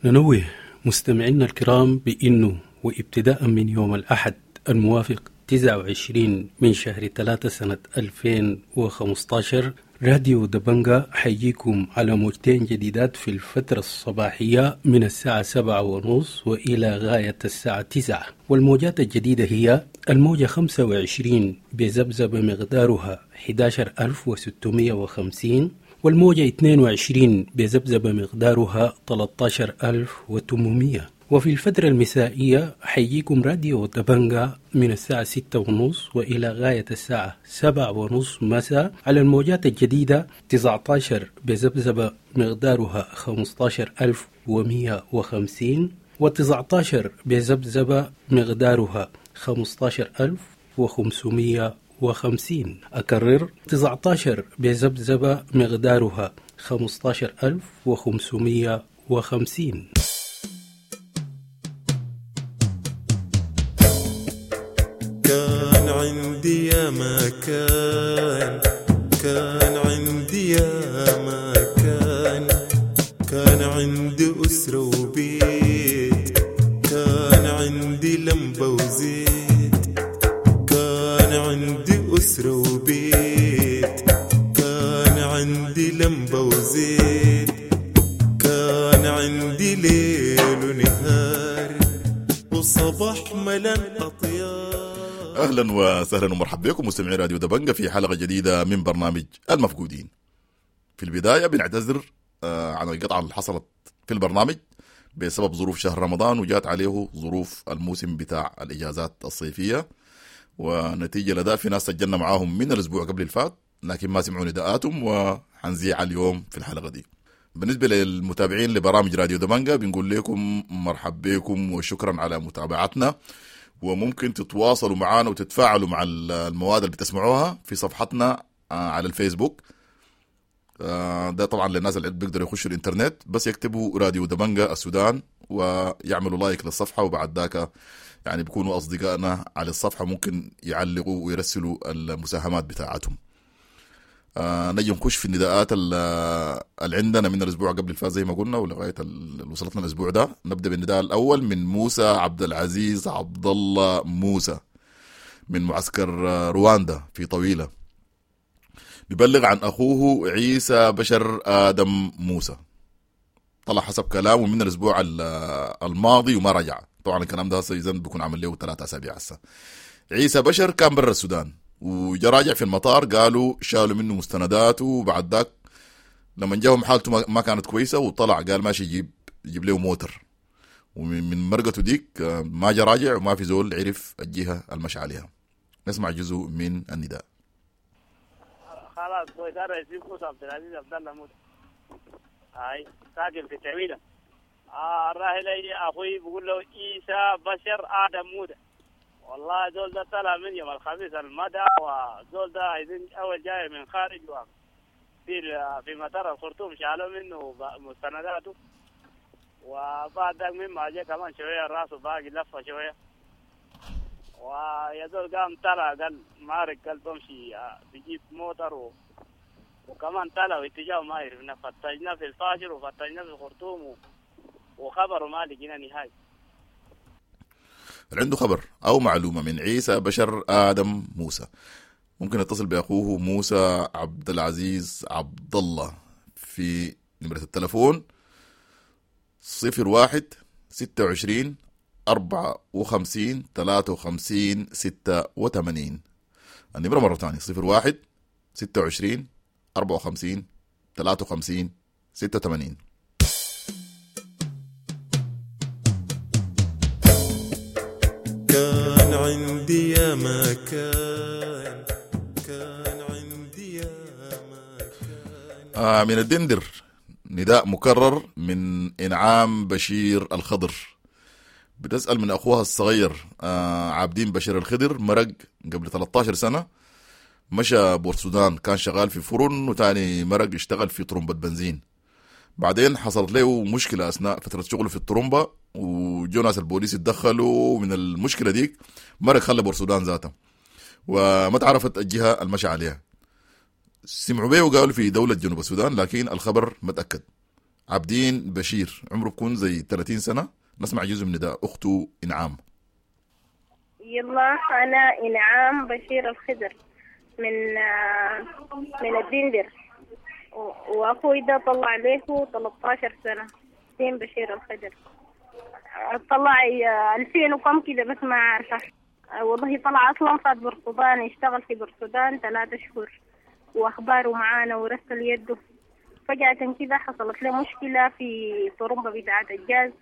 ننوه مستمعينا الكرام بأنه وابتداء من يوم الأحد الموافق تسعة وعشرين من شهر ثلاثة سنة ألفين وخمسة عشر راديو دبنجا حيجيكم على موجتين جديدات في الفترة الصباحية من الساعة سبعة ونص وإلى غاية الساعة تسعة، والموجات الجديدة هي الموجة خمسة وعشرين بذبذبة مقدارها أحد عشر ألف وستمئة وخمسين، والموجة اثنين وعشرين بذبذبة مقدارها ثلاثة عشر ألف وثمانمئة. وفي الفترة المسائية حيجيكم راديو دبنجا من الساعة ستة ونص وإلى غاية الساعة سبعة ونص مساء على الموجات الجديدة تسعة عشر بذبذبة مقدارها خمسة عشر ألف ومئة وخمسين، وتسعة عشر بذبذبة مقدارها خمسة عشر ألف وخمسمئة وخمسين. أكرر، تسعة عشر بذبذبة مقدارها خمسة عشر ألف وخمسمئة وخمسين. كان عندي يا ما كان، كان عندي يا ما كان، كان عندي أسرة وبيت، كان عندي لمبة وزيت، كان عندي أسرة وبيت، كان عندي لمبة وزيت، كان عندي ليل ونهار، اهلا وسهلا ومرحبا بكم مستمعي راديو دبنجة في حلقة جديدة من برنامج المفقودين. في البداية بنعتذر آه، عن القطعة اللي حصلت في البرنامج بسبب ظروف شهر رمضان، وجات عليه ظروف الموسم بتاع الاجازات الصيفية، ونتيجة لده في ناس سجلنا معاهم من الاسبوع قبل الفات لكن ما سمعوا نداءاتهم، وحنذيع اليوم في الحلقة دي. بالنسبة للمتابعين لبرامج راديو دبنجة بنقول لكم مرحب بكم وشكرا على متابعتنا، وممكن تتواصلوا معنا وتتفاعلوا مع المواد اللي بتسمعوها في صفحتنا على الفيسبوك. ده طبعا للناس اللي بيقدروا يخشوا الانترنت، بس يكتبوا راديو دبنجة السودان ويعملوا like للصفحة، وبعد ذاك يعني بيكونوا أصدقائنا على الصفحة، ممكن يعلقوا ويرسلوا المساهمات بتاعتهم. آه نجي نخش في النداءات اللي عندنا من الأسبوع قبل الفات زي ما قلنا ولغاية اللي وصلتنا الأسبوع ده. نبدأ بالنداء الأول من موسى عبد العزيز عبد الله موسى من معسكر رواندا في طويلة، بيبلغ عن أخوه عيسى بشر آدم موسى، طلع حسب كلامه من الأسبوع الماضي وما رجع. طبعا الكلام ده هسه إذن بيكون عمل له ثلاثة أسابيع هسه. عيسى بشر كان برا السودان وجا راجع في المطار، قالوا شالوا منه مستنداته، وبعد ذاك لما جاهم حالته ما كانت كويسة وطلع قال ماشي يجيب يجيب له موتر، ومن مرقته ديك ما جا راجع وما في زول عرف الجهة المشي عليها. نسمع جزء من النداء. خلاص كويس، انا اسمي موسى عبد العزيز عبد الله موسى، هاي ساكن في تعويله. آه الراحل اخوي بيقول له عيسى بشر ادم موسى. والله زول ده طلع من يوم الخميس المدى، وزول ده عايزين اول جاي من خارج في في مطار الخرطوم شالوا منه مستنداته، وبعد ذاك مما جاء كمان شوية راسه باقي لفه شوية، ويا زول قام طلع قال مارك قال بمشي بجيب موتر و... وكمان طلع واتجاهه ما عرفنا، فتشنا في الفاشر وفتشنا في الخرطوم و... وخبره ما لقينا نهائي. عنده خبر أو معلومة من عيسى بشر آدم موسى ممكن يتصل بأخوه موسى عبد العزيز عبد الله في نمرة التلفون صفر واحد ستة وعشرين أربعة وخمسين ثلاثة وخمسين ستة وثمانين. النمرة مرة ثانية صفر واحد ستة وعشرين أربعة وخمسين ثلاثة وخمسين ستة وثمانين. كان عندي يا ما كان، كان عندي يا ما كان. آه من الدندر نداء مكرر من إنعام بشير الخضر، بتسأل من أخوها الصغير آه عابدين بشير الخضر، مرق قبل ثلاثة عشر سنة، مشى بورسودان، كان شغال في فرن وتاني مرق اشتغل في طرمبة بنزين. بعدين حصلت له مشكلة أثناء فترة شغله في الطرمبة، وجو ناس البوليس اتدخلوا من المشكلة ديك، مرق خلى بورسودان ذاته وما تعرفت الجهة المشى عليها. سمعوا به وقالوا في دولة جنوب السودان، لكن الخبر ما تأكد. عابدين بشير عمره بكون زي ثلاثين سنة. نسمع جزء من نداء أخته إنعام. يلا أنا إنعام بشير الخضر من من الدندر، وأخوي ده طلع له ثلاثة عشر سنة، دين بشير الخضر، طلع ألفين وكم كده بس ما عارفة والله. طلع أصلا فات برسودان، يشتغل في برسودان ثلاثة شهور، وأخباره معانا ورسل يده. فجأة كده حصلت له مشكلة في طرمبة بتاعة الجاز،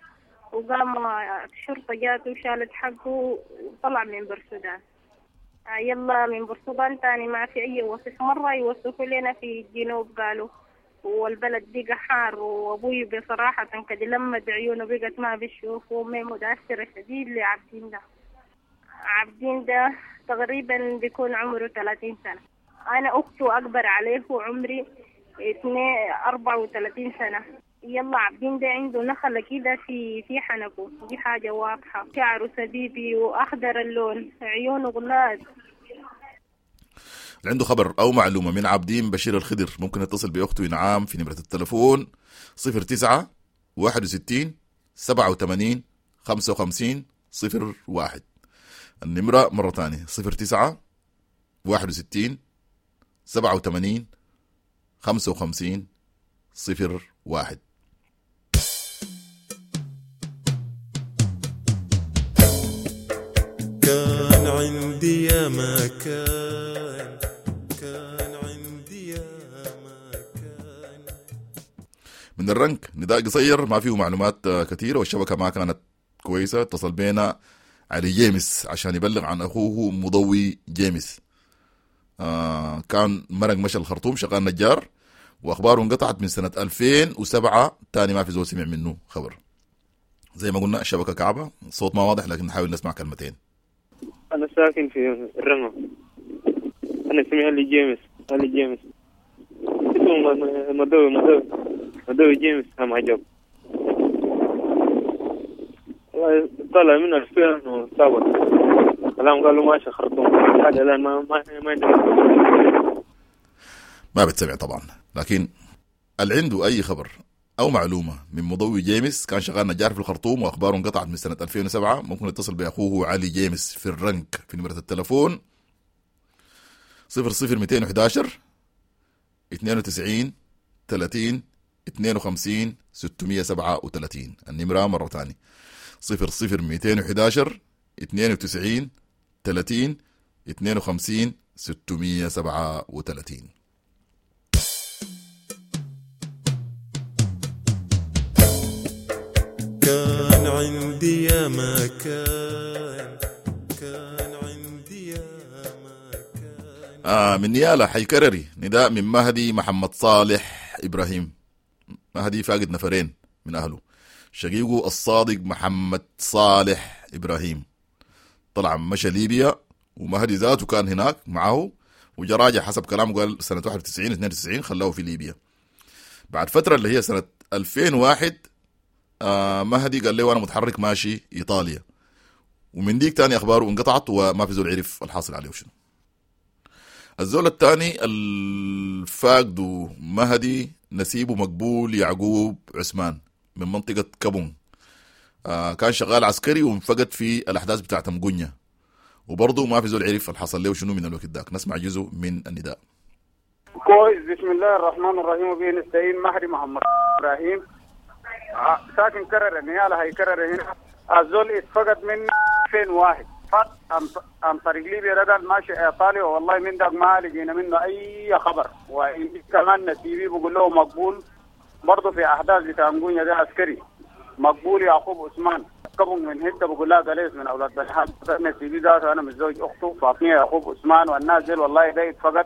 وقام الشرطة جاته وشالت حقه وطلع من برسودان. يلا من برسودان تاني ما في أي وصف، مرة يوصفوا لنا في الجنوب قالوا، والبلد بقى حار، وأبوي بصراحة كده لما عيونه بقت ما بيشوف، وأمي متأثرة شديد لعبدين ده. عبدين ده تقريبا بيكون عمره ثلاثين سنة، أنا أخته أكبر عليه وعمري اثنين أربعة وثلاثين سنة. يلا عبدين ده عنده نخلة كده في في حنكه، دي حاجة واضحة، شعره سبيبي وأخضر اللون، عيونه غلاد. اللي عنده خبر أو معلومة من عابدين بشير الخضر ممكن يتصل بأخته إنعام في نمرة التلفون صفر تسعة واحد وستين سبعة وثمانين خمسة وخمسين صفر واحد. النمرة مرة تانية صفر تسعة واحد وستين سبعة وثمانين خمسة وخمسين صفر واحد. كان عندي يا مكان، كان عندي يا مكان. من الرنك نداء قصير ما فيه معلومات كثيرة والشبكة ما كانت كويسة. اتصل بينا علي جيمس عشان يبلغ عن أخوه مضوي جيمس. آه كان مرق مشى الخرطوم شغال نجار، وأخباره انقطعت من سنة ألفين وسبعة، تاني ما في زول سمع منه خبر. زي ما قلنا الشبكة كعبة، الصوت ما واضح لكن نحاول نسمع كلمتين. أنا ساكن في الرمى، أنا اسمي علي جيمس، علي جيمس اسمه مضوي، مضوي مضوي جيمس. هم عجب والله، طلع من ألفين وسبعة الآن قالوا ماشي خرطوم، حاجة الآن ما ما ما ما بتسمع طبعا. لكن اللي عنده أي خبر أو معلومة من مضوي جيمس، كان شغال نجار في الخرطوم وأخباره انقطعت من سنة ألفين وسبعة، ممكن يتصل بأخوه علي جيمس في الرنك في نمرة التلفون صفر صفر مئتين وأحد عشر اثنين وتسعين ثلاثين اثنين وخمسين ستمية وسبعة وثلاثين. النمرة مرة تانية صفر صفر مئتين وأحد عشر اثنين وتسعين ثلاثين اثنين وخمسين ستمية وسبعة وثلاثين. كان عندي يا مكان، كان عندي يا مكان. آه من نيالا حيكرري نداء من مهدي محمد صالح إبراهيم. مهدي فاقد نفرين من أهله، شقيقه الصادق محمد صالح إبراهيم طلع مشى ليبيا، ومهدي ذاته كان هناك معه وجراجع حسب كلامه، قال سنة واحد وتسعين اثنين وتسعين خلاه في ليبيا. بعد فترة اللي هي سنة ألفين وواحد آه مهدي قال له أنا متحرك ماشي إيطاليا، ومن ديك تاني أخباره انقطعت وما في زول عرف الحاصل عليه وشنو. الزول الثاني الفاقد مهدي نسيبه مقبول يعقوب عثمان من منطقة كابون، آه كان شغال عسكري وانفقد في الأحداث بتاعت مقنية، وبرضه ما في زول عرف الحصل له شنو من الوقت داك. نسمع جزء من النداء. كويس. بسم الله الرحمن الرحيم وبه نستعين. مهدي محمد إبراهيم ساكن كرر نيالا هيكرر هنا. الزول اتفقد من ألفين وواحد فات عن طريق ليبيا، رجل ماشي ايطاليا، والله من داك ما لقينا منه اي خبر. وكمان نسيبي بقول له مقبول برضه في احداث بتاع مقونيا ده عسكري مقبول يعقوب عثمان كبن من هته بقول لها قليس من اولاد بلحان نسيبي ذاته انا متزوج اخته فاطمة يعقوب عثمان والناس ديل والله ده اتفقد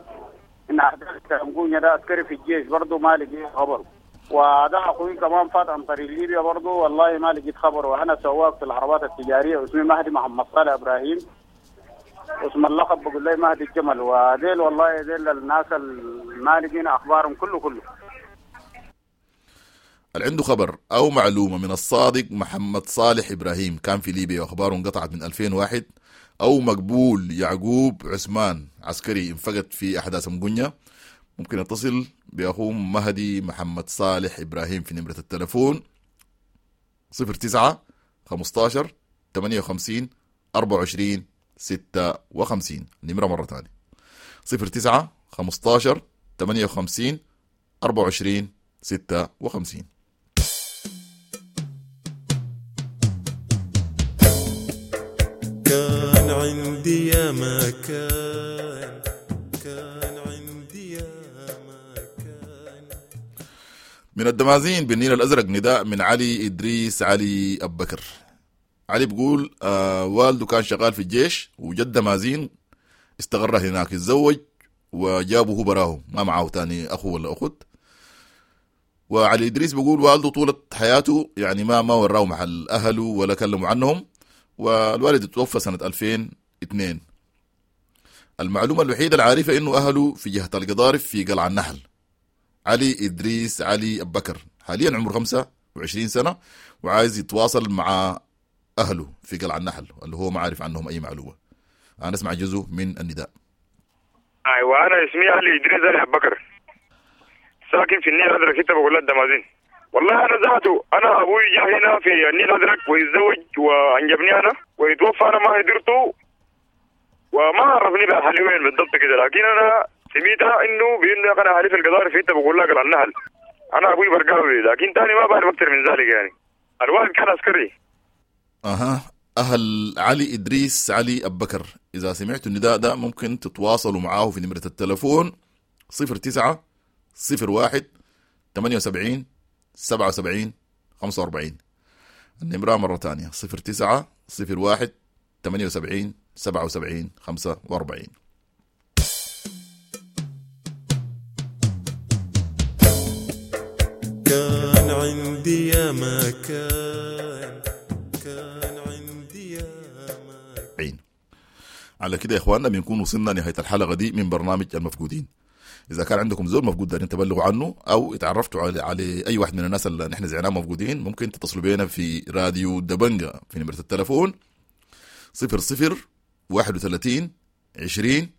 ان احداث بتاع مقونيا ده عسكري في الجيش برضه ما لقينا خبر. وده اخوي كمان فات عن طريق ليبيا برضه والله ما لقيت خبر. وانا سواق في العربات التجارية اسمي مهدي محمد صالح ابراهيم، اسم اللقب بقول لي مهدي الجمل. وديل والله ديل الناس ما لقينا اخبارهم كله كله. اللي عنده خبر او معلومة من الصادق محمد صالح ابراهيم كان في ليبيا واخباره انقطعت من ألفين وواحد، او مقبول يعقوب عثمان عسكري انفقد في احداث مقنية، ممكن يتصل بأخوه مهدي محمد صالح إبراهيم في نمرة التلفون صفر تسعة خمستاشر ثمانية وخمسين أربعة وعشرين ستة وخمسين. نمرة مرة تانية صفر تسعة خمستاشر ثمانية وخمسين أربعة وعشرين ستة وخمسين. كان عندي يا مكان، كان عندي يا مكان. من الدمازين بالنيل الأزرق نداء من علي إدريس علي أبو بكر. علي بيقول آه والده كان شغال في الجيش وجد دمازين استقر هناك، اتزوج وجابه هو براه ما معه تاني أخو ولا أخت. وعلي إدريس بيقول والده طولة حياته يعني ما ما وراه محل أهله ولا كلموا عنهم، والوالد توفى سنة ألفين واثنين. المعلومة الوحيدة العارفة إنه أهله في جهة القضارف في قلعة النحل. علي إدريس علي أبو بكر حاليا عمره خمسة وعشرين سنة وعايز يتواصل مع أهله في قلعة النحل اللي هو ما عارف عنهم أي معلومة. أنا أسمع جزء من النداء. أيوة أنا اسمي علي إدريس علي أبو بكر، ساكن في النيل الأزرق ستة بقول الدمازين. والله أنا ذاته أنا أبوي جاء هنا في النيل الأزرق ويتزوج وأنجبني أنا ويتوفى، أنا ما قدرته وما عرفني بأهلي وين بالضبط كده، لكن أنا سميتها إنه بإنه أنا أهلي في القضارف في بقول لك النحل. أنا أبوي برقاوي لكن تاني ما بعرف أكثر من ذلك يعني. الوالد كان عسكري. أها أهل علي إدريس علي أبكر، إذا سمعتوا النداء ده ممكن تتواصلوا معاه في نمرة التلفون صفر تسعة صفر واحد ثمانية وسبعين سبعة وسبعين خمسة وأربعين. النمرة مرة تانية صفر تسعة صفر واحد ثمانية وسبعين سبعة وسبعين خمسة وأربعين. كان عندي يا ما كان، كان عندي يا ما كان. على كده يا إخواننا بنكون وصلنا نهاية الحلقة دي من برنامج المفقودين. إذا كان عندكم زول مفقود دارين تبلغوا عنه أو اتعرفتوا على على أي واحد من الناس اللي نحن زعناه مفقودين، ممكن تتصلوا بينا في راديو دبنجة في نمرة التلفون صفر صفر واحد وثلاثين عشرين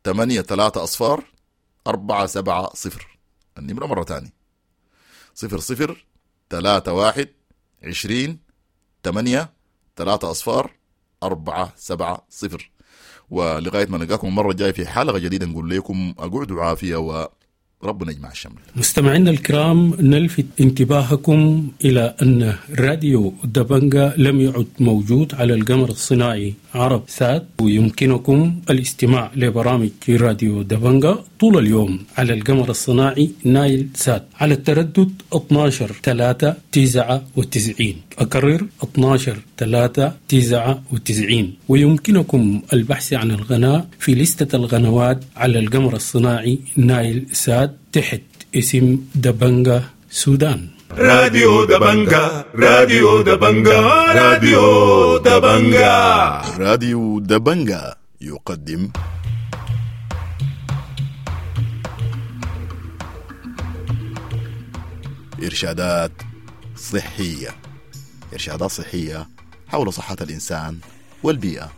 ثمانية ثلاثة أصفار أربعة سبعة صفر. النمرة مرة تانية صفر صفر ثلاثة واحد عشرين ثمانية ثلاثة أصفار أربعة سبعة صفر. ولغاية ما نلقاكم المرة الجاية في حلقة جديدة نقول لكم أقعدوا عافية وربنا يجمع الشمل. مستمعينا الكرام، نلفت انتباهكم إلى أن راديو دبنجا لم يعد موجود على القمر الصناعي عرب سات، ويمكنكم الاستماع لبرامج راديو دبنجا طول اليوم على القمر الصناعي نايل سات على التردد اثنا عشر ثلاثة تسعة وتسعين. أكرر اثنا عشر ثلاثة تسعة وتسعين. ويمكنكم البحث عن القناة في لستة القنوات على القمر الصناعي نايل سات تحت اسم دبنجا سودان. راديو دبنجا، راديو دبنجا، راديو دبنجا، راديو دبنجا يقدم إرشادات صحية، إرشادات صحية حول صحة الإنسان والبيئة.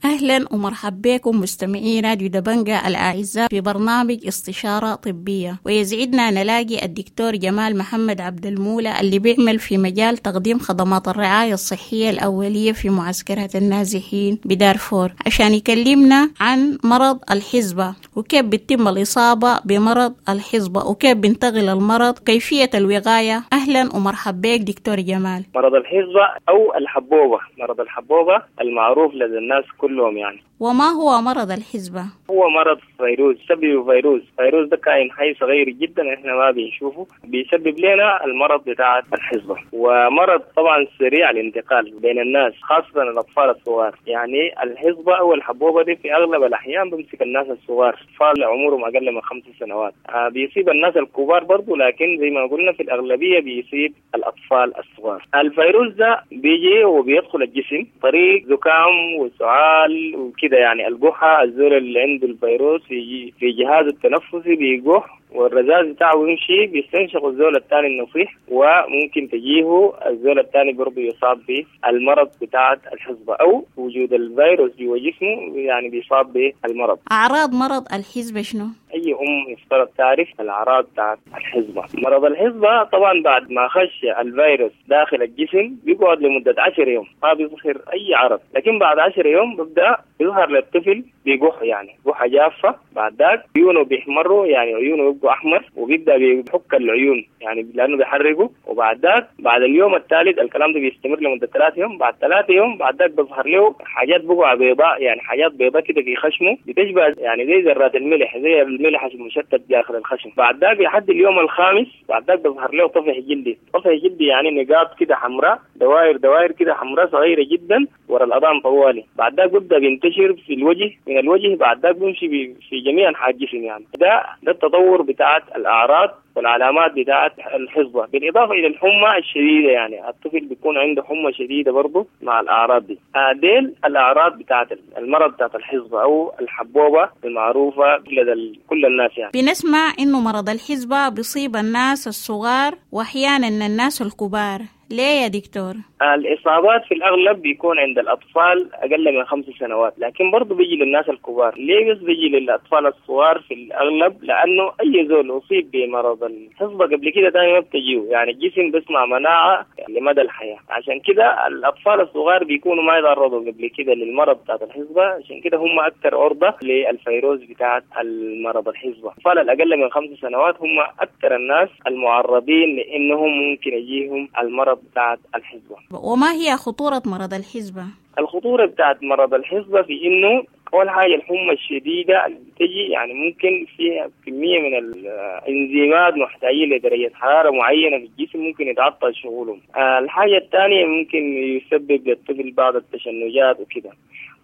أهلا ومرحبا بكم مستمعي راديو دبنجا الأعزاء في برنامج استشارة طبية، ويسعدنا نلاقي الدكتور جمال محمد عبد المولى اللي بيعمل في مجال تقديم خدمات الرعاية الصحية الأولية في معسكرات النازحين بدارفور، عشان يكلمنا عن مرض الحصبة وكيف بتتم الإصابة بمرض الحصبة وكيف بينتقل المرض، كيفية الوقاية. أهلا ومرحبا بك دكتور جمال. مرض الحصبة أو الحبوبة، مرض الحبوبة المعروف لدى الناس كلهم يعني. وما هو مرض الحصبة؟ هو مرض فيروس، سببه فيروس، فيروس ده كائن حي صغير جدا احنا ما بنشوفه، بيسبب لنا المرض بتاع الحصبة، ومرض طبعا سريع الانتقال بين الناس خاصة الأطفال الصغار. يعني الحصبة أو الحبوبة دي في أغلب الأحيان بمسك الناس الصغار، أطفال عمرهم أقل من خمس سنوات، بيصيب الناس الكبار برضو، لكن زي ما قلنا في الأغلبية بيصيب الأطفال الصغار. الفيروس ده بيجي وبيدخل الجسم طريق زكام وسعال وكده، يعني الجحة، الزول اللي عنده الفيروس في في جهازه التنفسي بيجح والرذاذ بتاعه يمشي بيستنشق الزول الثاني النصيح، وممكن تجيه الزول الثاني برضه يصاب بالمرض بتاع الحصبة، أو وجود الفيروس جوا جسمه يعني بيصاب بالمرض. أعراض مرض الحصبة شنو؟ أي أم يفترض تعرف الأعراض بتاعت الحصبة. مرض الحصبة طبعا بعد ما خش الفيروس داخل الجسم بيقعد لمدة عشر يوم ما بيظهر أي عرض، لكن بعد عشر يوم بيبدأ يظهر للطفل بيقح، يعني قحة جافة، بعد ذاك عيونه بيحمروا، يعني عيونه بيبقوا أحمر، وبيبدأ بيحك العيون يعني لأنه بيحرقه. وبعد ذاك بعد اليوم الثالث الكلام ده بيستمر لمدة ثلاث يوم، بعد ثلاث يوم بعد ذاك بيظهر له حاجات بقع بيضاء، يعني حاجات بيضاء كده في خشمه بتشبه يعني زي ذرات الملح، زي الملح المشتت داخل الخشم. بعد ذاك لحد اليوم الخامس بعد ذاك بيظهر له طفح جلدي، طفح جلدي يعني نقاط كده حمراء، دوائر دوائر كده حمراء صغيرة جدا ورا الأذان طوالي. بعد ذاك بيبدأ بينتشر في الوجه، من الوجه بعد ذاك بيمشي في جميع أنحاء الجسم. يعني ده ده التطور بتاعت الأعراض والعلامات بتاعت الحصبة، بالإضافة إلى الحمى الشديدة، يعني الطفل بيكون عنده حمى شديدة برضه مع الأعراض دي. ديل الأعراض بتاعت المرض بتاعت الحصبة أو الحبوبة المعروفة لدى كل الناس. يعني بنسمع إنه مرض الحصبة بيصيب الناس الصغار وأحيانا الناس الكبار، ليه يا دكتور؟ الإصابات في الأغلب بيكون عند الأطفال أقل من خمس سنوات، لكن برضو بيجي للناس الكبار. ليه بس بيجي للأطفال الصغار في الأغلب؟ لأنه أي زول أصيب بمرض الحصبة قبل كده تاني ما بتجيه، يعني الجسم بيصنع مناعة لمدى الحياة. عشان كده الأطفال الصغار بيكونوا ما يتعرضوا قبل كده للمرض بتاعت الحصبة، عشان كده هم أكثر عرضة للفيروس بتاعت المرض الحصبة. الأطفال الأقل من خمس سنوات هم أكثر الناس المعرضين لأنهم ممكن يجيهم المرض بتاعت الحصبة. وما هي خطورة مرض الحصبة؟ الخطورة بتاعت مرض الحصبة في إنه أول حاجة الحمى الشديدة اللي بتجي، يعني ممكن فيها كمية من الإنزيمات محتاجين لدرجة حرارة معينة في الجسم ممكن يتعطل شغلهم. الحاجة الثانية ممكن يسبب للطفل بعض التشنجات وكده،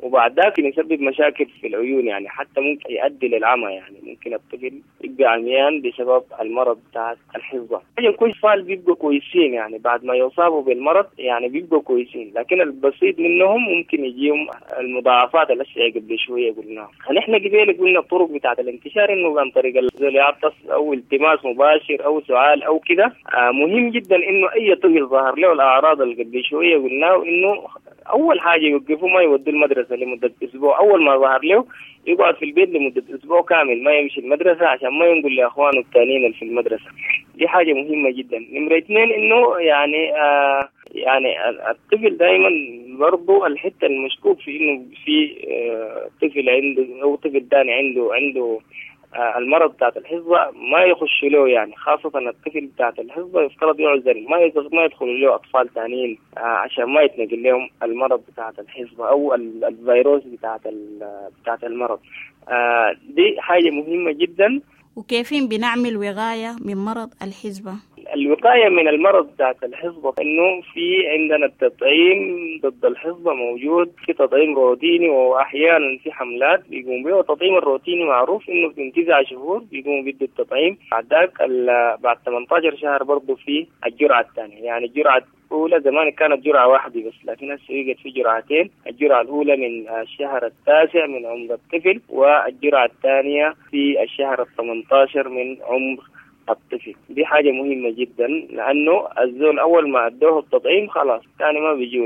وبعد ذاك يسبب مشاكل في العيون، يعني حتى ممكن يؤدي للعمى، يعني ممكن الطفل يبقى عميان بسبب المرض بتاع الحصبة. يعني كل أطفال بيبقوا كويسين، يعني بعد ما يصابوا بالمرض يعني بيبقوا كويسين، لكن البسيط منهم ممكن يجيهم المضاعفات الأشياء قبل شوية قلناها. نحن قبل قلنا الطرق بتاعة الانتشار إنه عن طريق الزول يعطس أو التماس مباشر أو سعال أو كده. آه مهم جدا إنه أي طفل ظهر له الأعراض اللي قبل شوية قلناه إنه أول حاجة يوقفوا ما يودوا المدرسة لمدة أسبوع. أول ما ظهر له يقعد في البيت لمدة أسبوع كامل ما يمشي المدرسة عشان ما ينقل لأخوانه الثانيين اللي في المدرسة. دي حاجة مهمة جدا. نمرة اثنين إنه يعني آه يعني الطفل دائما برضو الحتة المشكوك في إنه في آه طفل عنده أو طفل ثاني عنده عنده آه المرض بتاعت الحصبة ما يخش له، يعني خاصة الطفل بتاعت الحصبة يفترض يعزل، ما ما يدخل له أطفال ثانيين آه عشان ما يتنقل لهم المرض بتاعت الحصبة أو الفيروس بتاعت بتاعت المرض. آه دي حاجة مهمة جدا. وكيفين بنعمل وقاية من مرض الحصبة؟ الوقاية من المرض بتاعت الحصبة إنه في عندنا التطعيم ضد الحصبة موجود، في تطعيم روتيني وأحيانا في حملات بيقوم به. والتطعيم الروتيني معروف إنه من تسعة شهور بيقوم بيدوا التطعيم، بعد ذاك بعد ثمانية عشر شهر برضه في الجرعة الثانية. يعني الجرعة الأولى زمان كانت جرعة واحدة بس، لكن هسه بقت في جرعتين، الجرعة الأولى من الشهر التاسع من عمر الطفل، والجرعة الثانية في الشهر الثمانية عشر من عمر الطفل. دي حاجة مهمة جدا، لأنه الزول أول ما أدوه التطعيم خلاص ثاني ما بيجيه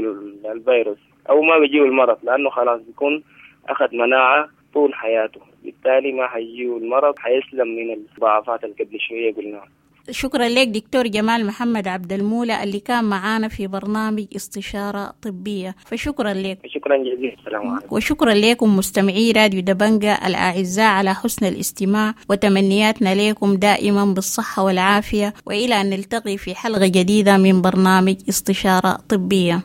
الفيروس أو ما بيجيه المرض، لأنه خلاص بيكون أخذ مناعة طول حياته، بالتالي ما حيجيه المرض، حيسلم من المضاعفات اللي قبل شوية قلناها. شكرا لك دكتور جمال محمد عبد المولى اللي كان معانا في برنامج استشارة طبية، فشكرا لك. شكرا جزيلا، السلام عليكم. وشكرا لكم مستمعي راديو دبنجة الأعزاء على حسن الاستماع، وتمنياتنا لكم دائما بالصحة والعافية، وإلى أن نلتقي في حلقة جديدة من برنامج استشارة طبية.